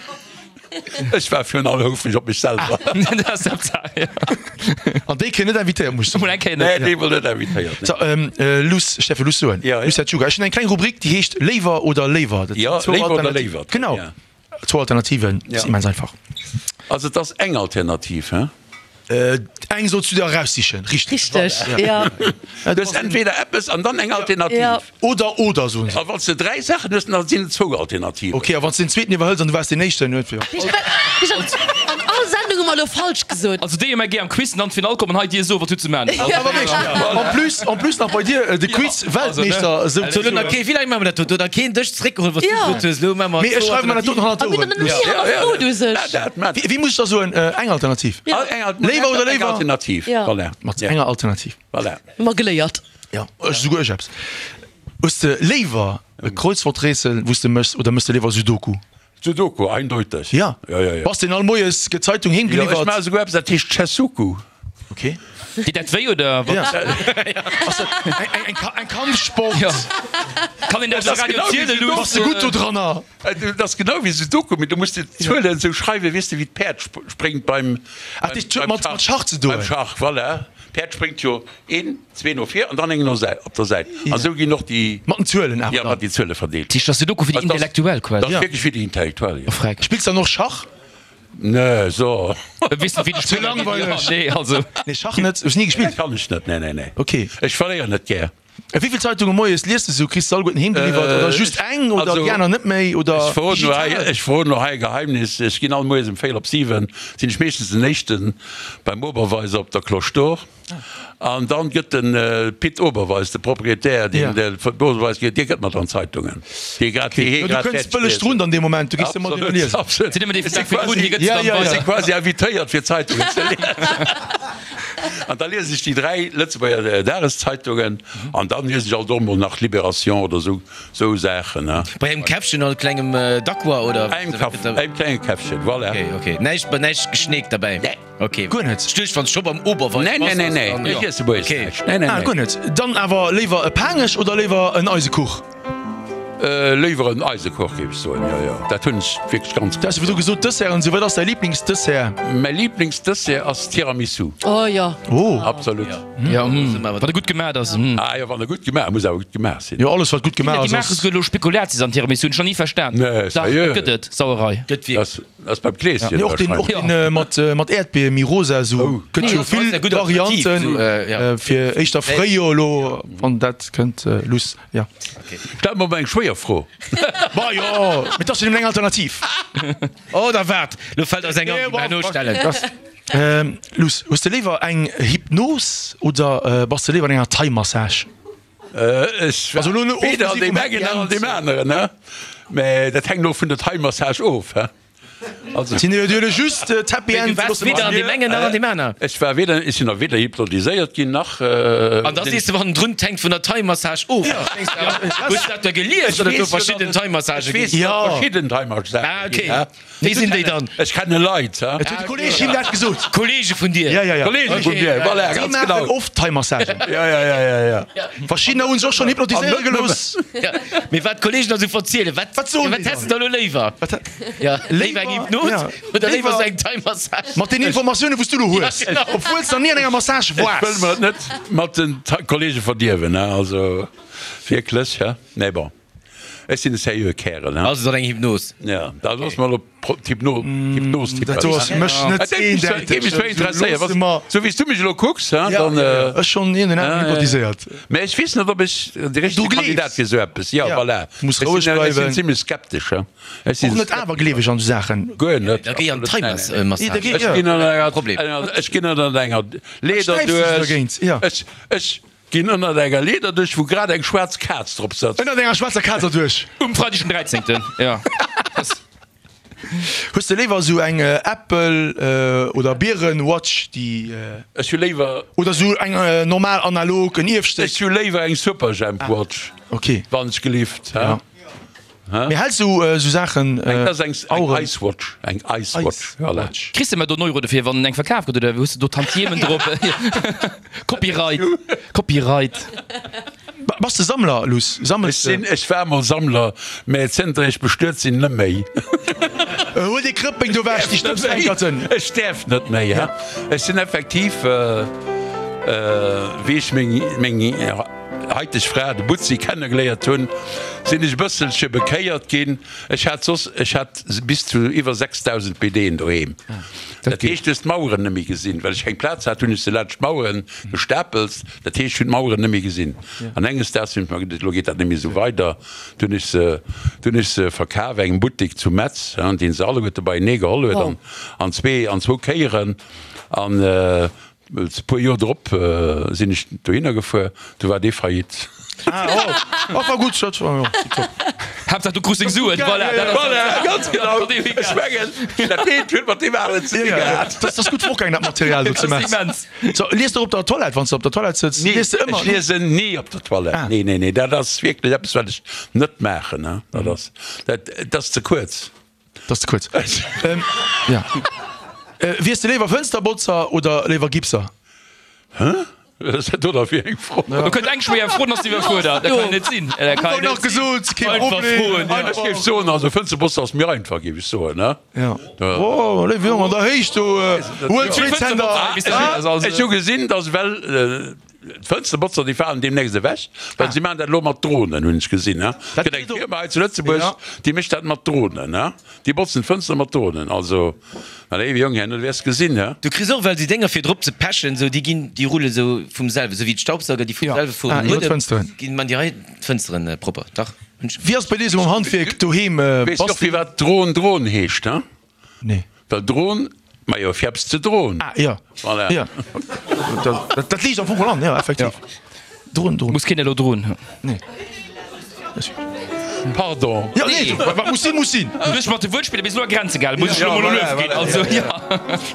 Ech war virun allem houfreg op mech selwer. An déi kréien net invitéiert, muss ech soen. Mol eng Kéier net. Nee, déi wor net invitéiert, nee. So, Luss, ech däerf jo Luss soen. Ja, ja. Luss Tsuga, ech hunn eng kleng Rubrik, déi heescht Léiwer oder Léiwer. Dat sinn Ja, zwou Léiwer oder Alternativen. Léiwert. Genau, Ja. zwou Alternativen, Ja. ass immens einfach. Also et ass eng Alternativ, hein? Eng solls du der eraussichen, richteg? Richteg, ja. Du hues entweder eppes an dann eng Alternativ. Ja. Oder, oder, soen se. A wann s de dräi Saachen hues, dann sinn et zwou Alternativen. Ok, a wann s de den zweeten iwwerhëls an du waars deen éischten, huet jo. An all Sendung hu mer elo falsch gesot. Also déi hu mer gär am Quiz an an d'Finall kommen, hei dir so wat du ze man hues. Awer wierklech, en plus, en plus nach bei dir de Quiz Weltmeeschter esou So, lo nach kee, wéi laang maache mer dat do? Do nach keen dech zeréckgeholl, wat s du gesot hues. Lo maache mer Mee ech zwou schreiwe mer dat doten hannert A mir d'Oueren. hunn nach ni hannerfrot u sech. Wéi muss ech da soen? Eng Alternativ? Léiwer oder léiwer? Eng Alternativ, Ja. voilà. Mat enger Alternativ. Voilà. Hu mer geléiert. Ja, ech souguer ech eppes. Hues de léiwer e Kreuzworträtsel, wou s de méchs, oder méchs de léiwer Sudoku? Sudoku, eindeuteg. Ja. Ja, ja, ja. Bass den all moies gëtt d'Zeitung heem Ja, ech geliwwert? maache souguer eppes, dat heescht Chessuku. Okay. Deet dat wéi oder wat? Ja. Ass dat eng, eng, eng Kampfsport? Ja. Kann een dat Das um Radio genau wéi zielen, Sudoku. Bass de gutt do dranner? Dat ass genau wéi Sudoku, mee du muss déi Zuelen esou schreiwen, weess de, wéi d'Päerd spréngt beim, Ach, dat huet mat Schach ze doen. Beim Schach, voilà. D'Päerd spréngt jo een, zwee no vir an dann eng no Säit, op der Säit. An esou ginn och déi. Mat den Zuelen awer Ja, dann. mat déi Zuele verdeelt. Dat heescht, dat ass Sudoku fir déi Intellektuell quasi. Dat ass wierklech fir déi Intellektuell, jo. Oh, freck. Spills dann och Schach? Nee, so. Weess net, wéi de Spiller geet. langweileg. Nee, also. Nee, Schach net. Hues ni gespillt? Dat kann ech net, nee, nee, nee. Okay. Ech verléieren net gär. Wéi vill Zeitunge moies liest de sou? Kriss de alleguerten heem geliwwert oder just eng oder déi aner net méi oder Ech verroden elo hei, digital? ech verroden elo hei e Geheimnis, Ech ginn all moies um véierel op siwen, sinn ech meeschtens den éischten beim Oberweiser op der Cloche d'Or. An dann gëtt de Pit Oberweis, de Proprietär, deen de Oberweis gëtt, dee gëtt mer dann d'Zeitungen, déi grad, déi hie Du grad kënns fäerdeg bëlleg liest drun huet. dann dee Moment, du gees ëmmer deen Absolut, liesen. absolut. Sinn ëmmer déi Ech si Dag virdrun, quasi, hie gëtt se Ja, dann ja, ech ja. si weider. quasi invitéiert fir Zeitungen ze liesen. An da liesen ech déi dräi Lëtzebuerger Dageszeitungen an dann liesen ech alt och mol nach Libération oder sou, sou Saachen, ne. Bei engem Käffchen oder klengem Dacqua oder? Engem Kaff, engem klenge Käffchen, voilà. Okay, okay. Näischt, näischt geschneekt derbäi? Nee. Okay. Guer net? Ech duecht, wann s scho beim Oberweis Nee, nee, bass, nee, dass nee. dann, Ech jo. iesse moies Okay. näischt. Nee, nee, Ah, nee. guer net. Dann awer léiwer e Paangech oder léiwer en Eisekuch? Léiwer en Eisekuch, géif ech soen, jo, jo. Dat hunn ech wierklech ganz Du has jo virdru gesot, Desserten, sou. Wat ass däi Liblingsdessert? Mäi Liblingsdessert ass Tiramisu. Oh jo. Oh. Absolut. Ja, wann e gutt gemaat ass. Ah jo, wann e gutt gemaach, muss awer gutt gemaach sinn. Jo, alles wat gutt gemaach Déi ass, maache ass. souguer elo Spekulatius an Tiramisu, hunn ech nach ni verstan. Nee, Dach, sérieux? et gëtt et, Sauerei. Gëtt wierklech. Dat ass beim Kleeschen Nee, och deen, och wahrscheinlech. deen mat, mat Äerdbier, méi rosa sou. Oh. Gëtt Nee, jo dat ass vill eng gutt Alternativ, Varianten, sou, ja. fir éischter Fréijoer elo, wann dat kënnt, luss, ja. Stell mer mol eng schwéier Fro. Ma jo, mee 't ass jo nëmmen eng Alternativ. Oh, da waart, lo fält eis eng an, déi mer herno stellen. Luss, hues de léiwer eng Hypnos oder bass de léiwer an enger Thai-Massage? Ech war Also elo weder an ofgesi deem vum engen Happy nach an End. deem aneren, ne? Mä dat hänkt och vun der Thai-Massage of, he? Also. Sinn jo elo just d'Happy Mee du End. waars weder an deem engen nach an deem aner. Ech war weder, ech sinn nach weder hypnotiséiert ginn nach. An Da sees de hannendrun, d'hänkt vun der Thai-Massage of. Hues du dat da gelies, datt et do verschidden Thai-Massagë Ech weess, ginn? datt et Ja. verschidden Thai-Massagë Ah, ginn, okay. he? Wéi sinn déi dann? Ech kenne Leit, he? Et huet de Kolleeg him dat gesot. Kollege vun dir? Ja, ja, ja. Kollege vun mir, voilà, Déi ganz maachen genau. oft Thai-Massagen. Ja, ja, ja, ja, ja. Verschiddener hu sech och schonn hypnotiséiere An net gelooss. Ja, mee wat d'Kollegen da sou verzielen, wat, Wat soen wat déi häss dann? de da lo léiwer? Wat hä- Ja, léiwer eng Hypnos ja. oder léiwer Léiwer- sou eng Thai-Massage? Mat den Informatiounen, wou s du elo hues, Ja, genau. obwuel s de nach ni an enger Massage Ech wëll waars. mer et net mat den Kollege verdierwen, he, also wierklech, he. Mee bon. Ech sinn e seriöe Kärel, hein. Also, et ass eng Hypnos. Ja, da loosse mer elo d'Hypno, d'Hypnos Dat do ass fir mech net eendäiteg. Géif mech zwar interesséieren, was, sou wéi s du mech elo kucks, hein, dann. Ja, ja, ech schonn een en aner hypnotiséiert. Mä ech weess net, ob ech de richtege Kandidat fir esou eppes, ja, voilà. Muss roueg bleiwen. Ech sinn zimlech skeptesch, hein. Ech sinn Och net awergleeweg an esou Saachen. Guer net. Da géi an d'Thai-Massage. Ech ginn ënner enger, ech ginn ënner enger Leeder duerch. Ech, ech. Ginn ënnert enger Leeder duerch, wou grad eng schwaarz Kaz drop sëtzt. Ënnert enger schwaarzer Kaz erduerch. Um Freideg den dräizéngten, jo. Hues de léiwer esou eng Apple oder Bieren Watch déi. Ech hu léiwer. Oder esou eng normal analog, en Ierfstéck? Ech hu léiwer eng Superjhemp Watch. Ok. Wann ech gelift, hä? Mee häls du esou Saachen, Eng, dat ass eng, eng Ice Watch, eng Ice Watch, voilà. Kriss de mer do en Euro dofir, wann eng verkaf gëtt, oder hues de do Tantiemen drop? Copyright, Copyright. Bass de Sammler, Luss? Sammels de? Ech sinn, ech war mol Sammler, mä zënter ech bestuet sinn, net méi. Huel dee Krëppeng do ewech, déi Stëbsfänkerten! Ech däerf net méi, ha. Ech sinn effektiv, wéi ech meng, meng. Haiteg Fra, de Butzi, kennegeléiert hunn, sinn ech e bësselche bekéiert ginn. Ech hat soss, ech hat bis zu iwwer sechsdausend BDen doheem. Dat heescht, du hues d'Maueren net méi gesinn. Well ech keng Plaz hat, hunn ech se laanscht d'Maueren gestapelt. Dat heescht, ech hunn d'Maueren net méi gesinn. An enges Daags hunn ech mer geduecht, elo geet dat net méi esou weider. Du hunn ech se, du hunn ech se verkaf engem Buttek zu Metz, dee se alleguerte beienee geholl huet an, an zwee, an zwou Kéieren. An E puer Joer drop sinn ech dohinner gefuer, du war dee faillite. Ah, oh, oh, war gutt, dat war jo tiptop. Haaptsaach du krus deng Suen, voilà, dat ass Voilà, ganz genau. Ech mengen, dat eent huet mat deem aneren ze di gehat. Dat ass gutt fortgaangen, dat Material do zu Metz. Immens. So, lies de op der Toilette, wann s de op der Toilette sëtz? Nee, Lies de ëmmer? ech liesen ni op der Toilette. Ah. Nee, nee, nee, dat ass wierklech eppes, wat ech net maachen, hein. Dat ass, dat, dat ass ze kuerz. Dat ass ze kuerz. Ja. Wiers de léiwer Fënsterbotzer oder léiwer Gipser? Hä? Wat ass dat do da fir eng Fro? Do kënnt eng schwéier Fro, dann ass se iwwerfuerdert. Dat kann net sinn. Dat kann net sinn. Kee Problem. Ech géif soen, also Fënsterbotzer ass méi einfach, géif ech soen, ne? Ja. Oh, léiwe Jong, an der Héicht do, huel zwee Zänder. Ech hu gesinn, dass well D'Fënsterbotzer, déi falen deemnächst ewech, well si maachen dat elo mat Dronen, hunn ech gesinn. Et gëtt eng Firma hei zu Lëtzebuerg, déi mécht dat mat Dronen. Déi botzen d'Fënster mat Dronen. Also, mä léiwe Jong, herno wäers gesinn. Du kriss och well déi Dénger fir drop ze pechen, sou déi ginn, déi rulle sou vum selwen, sou wéi d'Staubsauger, déi vum selwe fueren. Ginn man déi hei d'Fënsteren propper, dach hunn ech. Wéi ass bei dir sou mam Handwierk doheem? Weess de och firwat Dron Dron heescht? Nee. Well Dron, majo fir eppes ze droen. Ah jo, Voilà. jo. Dat, dat liicht am Fong geholl an, jo, effektiv. Droen, droen. Muss keen elo droen. Nee. Pardon. Jo, nee, wat, wat muss sinn, muss sinn. Du hues mat de Wuertspiller bis elo a Grenze gehalen, muss ech elo mol Luef ginn. Also, jo.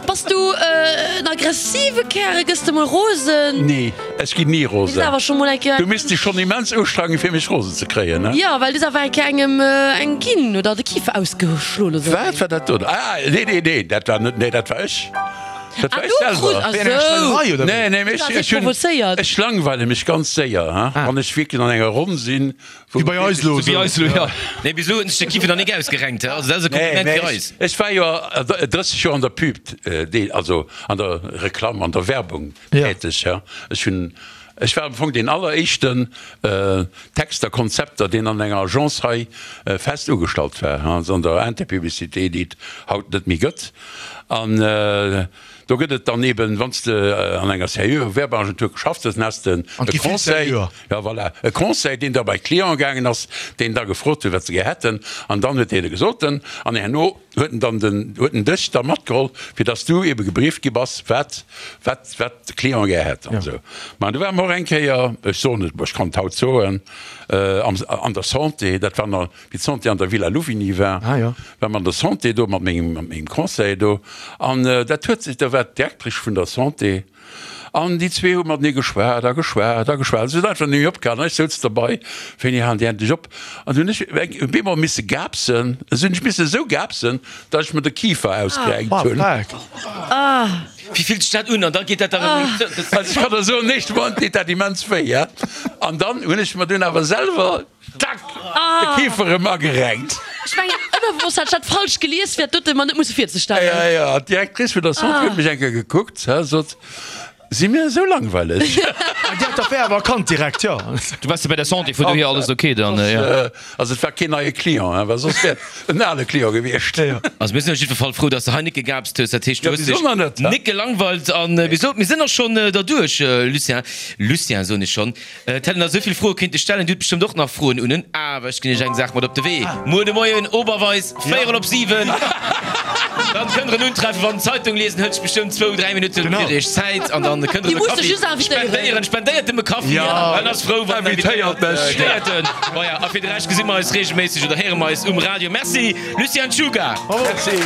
Bass du en aggressive Kär? Gëss de mol rosen? Nee, ech ginn ni Du rosen. awer scho mol eng Kéier. Du misst dech schonn immens ustrengen, fir mech rosen ze kréien, ne? Jo, well du awer eng Kéier engem eng ginn oder de Kifer ausgeschloen oder sou. Wat war dat do? Ah, nee, nee, nee, dat war net, nee, dat war ech. Dat war Ah, ech du krus, selwer. ach Wéi an enger sou. Schweinerei, oder wéi? Nee, nee, mee Du ech, has ech dech hunn, provozéiert. ech langweile mech ganz séier, ha, wann ech wierklech an enger Ronn sinn, wou Wéi bei eis elo, Wéi eis elo, jo. Nee, bis elo huet sech de Kifer nach nik ausgerenkt, he? Also dat ass e Nee, Kompliment mee fir ech, eis. ech war jo drësseg Joer an der Pub, also an der Reklamm, an der Werbung täteg, ja. Ech hunn Ech war am Fong deen alleréischten Texter, Konzepter, deen an enger Agence hei fest ugestallt war, also an der Interpublicité, déi et haut net méi gëtt. An do gëtt et dann eben, wann s de an enger seriöer Werbeagentur geschafft hues, dann has de e Conseil, jo voilà, e Conseil, deen da bei d'Clienten gaangen ass, deen da gefrot huet, wat se gär hätten, an dann huet deen gesot, an herno huet en dann den, huet en dech da matgeholl, fir dass du ebe gebrieft gi bass, wat, wat, wat de Client gär hätt an esou. Ma du ware mer och eng Kéier, ech soen et, ech kann et haut soen, am, an der Santé, dat war nach, wéi d'Santé an der Villa Louvigny war, war mer an der Santé do mat mengem, mat mengem Conseiller do, an dat huet sech, da war d'Directrice vun der Santé, An déi zwee hu matenee geschwat a geschwat a geschwat. Se hunn einfach net méi opgehalen. An ech souz derbei, Wéini halen déi endlech op? An du hunn ech op eemol misse gaapsen. Esou hunn ech misse esou gaapsen, datt ech mer de Kifer ausgerenkt hunn. Wéi fillt sech dat un? An da geet dat da erëm zou. Also ech kann der soen, den éischte Moment deet dat immens wéi, ja. An dann hunn ech mer dunn awer selwer, tack, de Kifer erëm agerenkt. Ech mengen, ënnerwosst hat ech dat falsch gelies, fir dat dote mer net musse virzestellen. Ja, ja, d'Directrice vun der Santé huet mech eng Kéier gekuckt, sot, Si mir esou langweileg? Dir hat d'Affär awer erkannt direkt, jo. Du waars jo bei der Santé, vun dohier alles ok dann, jo. Also et war keen neie Client, well soss wär et en ale Client gewiescht. Also mir sinn op jiddwer Fall frou, dass de hei nik gegaapst hues. Dat heescht, du hues dech nik gelangweilt. An wéi gesot, mir sinn och schonn derduerch, Lucien. Lucien soen ech schonn. Et hätt een nach esou vill Froe kéinte stellen. Dir hutt bestëmmt och nach Froen un en. Awer ech ginn iech eng Saach mat op de Wee. Muer de Moien, Oberweis, véierel op siwen. Dann kënnt der en untreffen. Wann d'Zeitung liesen hëlt sech bestëmmt zwou, dräi Minutten fir iech Zäit. An dann kënnt der e Kaffi spendéieren. Spendéiert em e Kaffi. En ass frou, wann en invitéiert gëtt. Voilà. A fir de Rescht gesi mer eis reegelméisseg oder héiere mer eis um Radio. Merci, Lucien Czuga. Merci.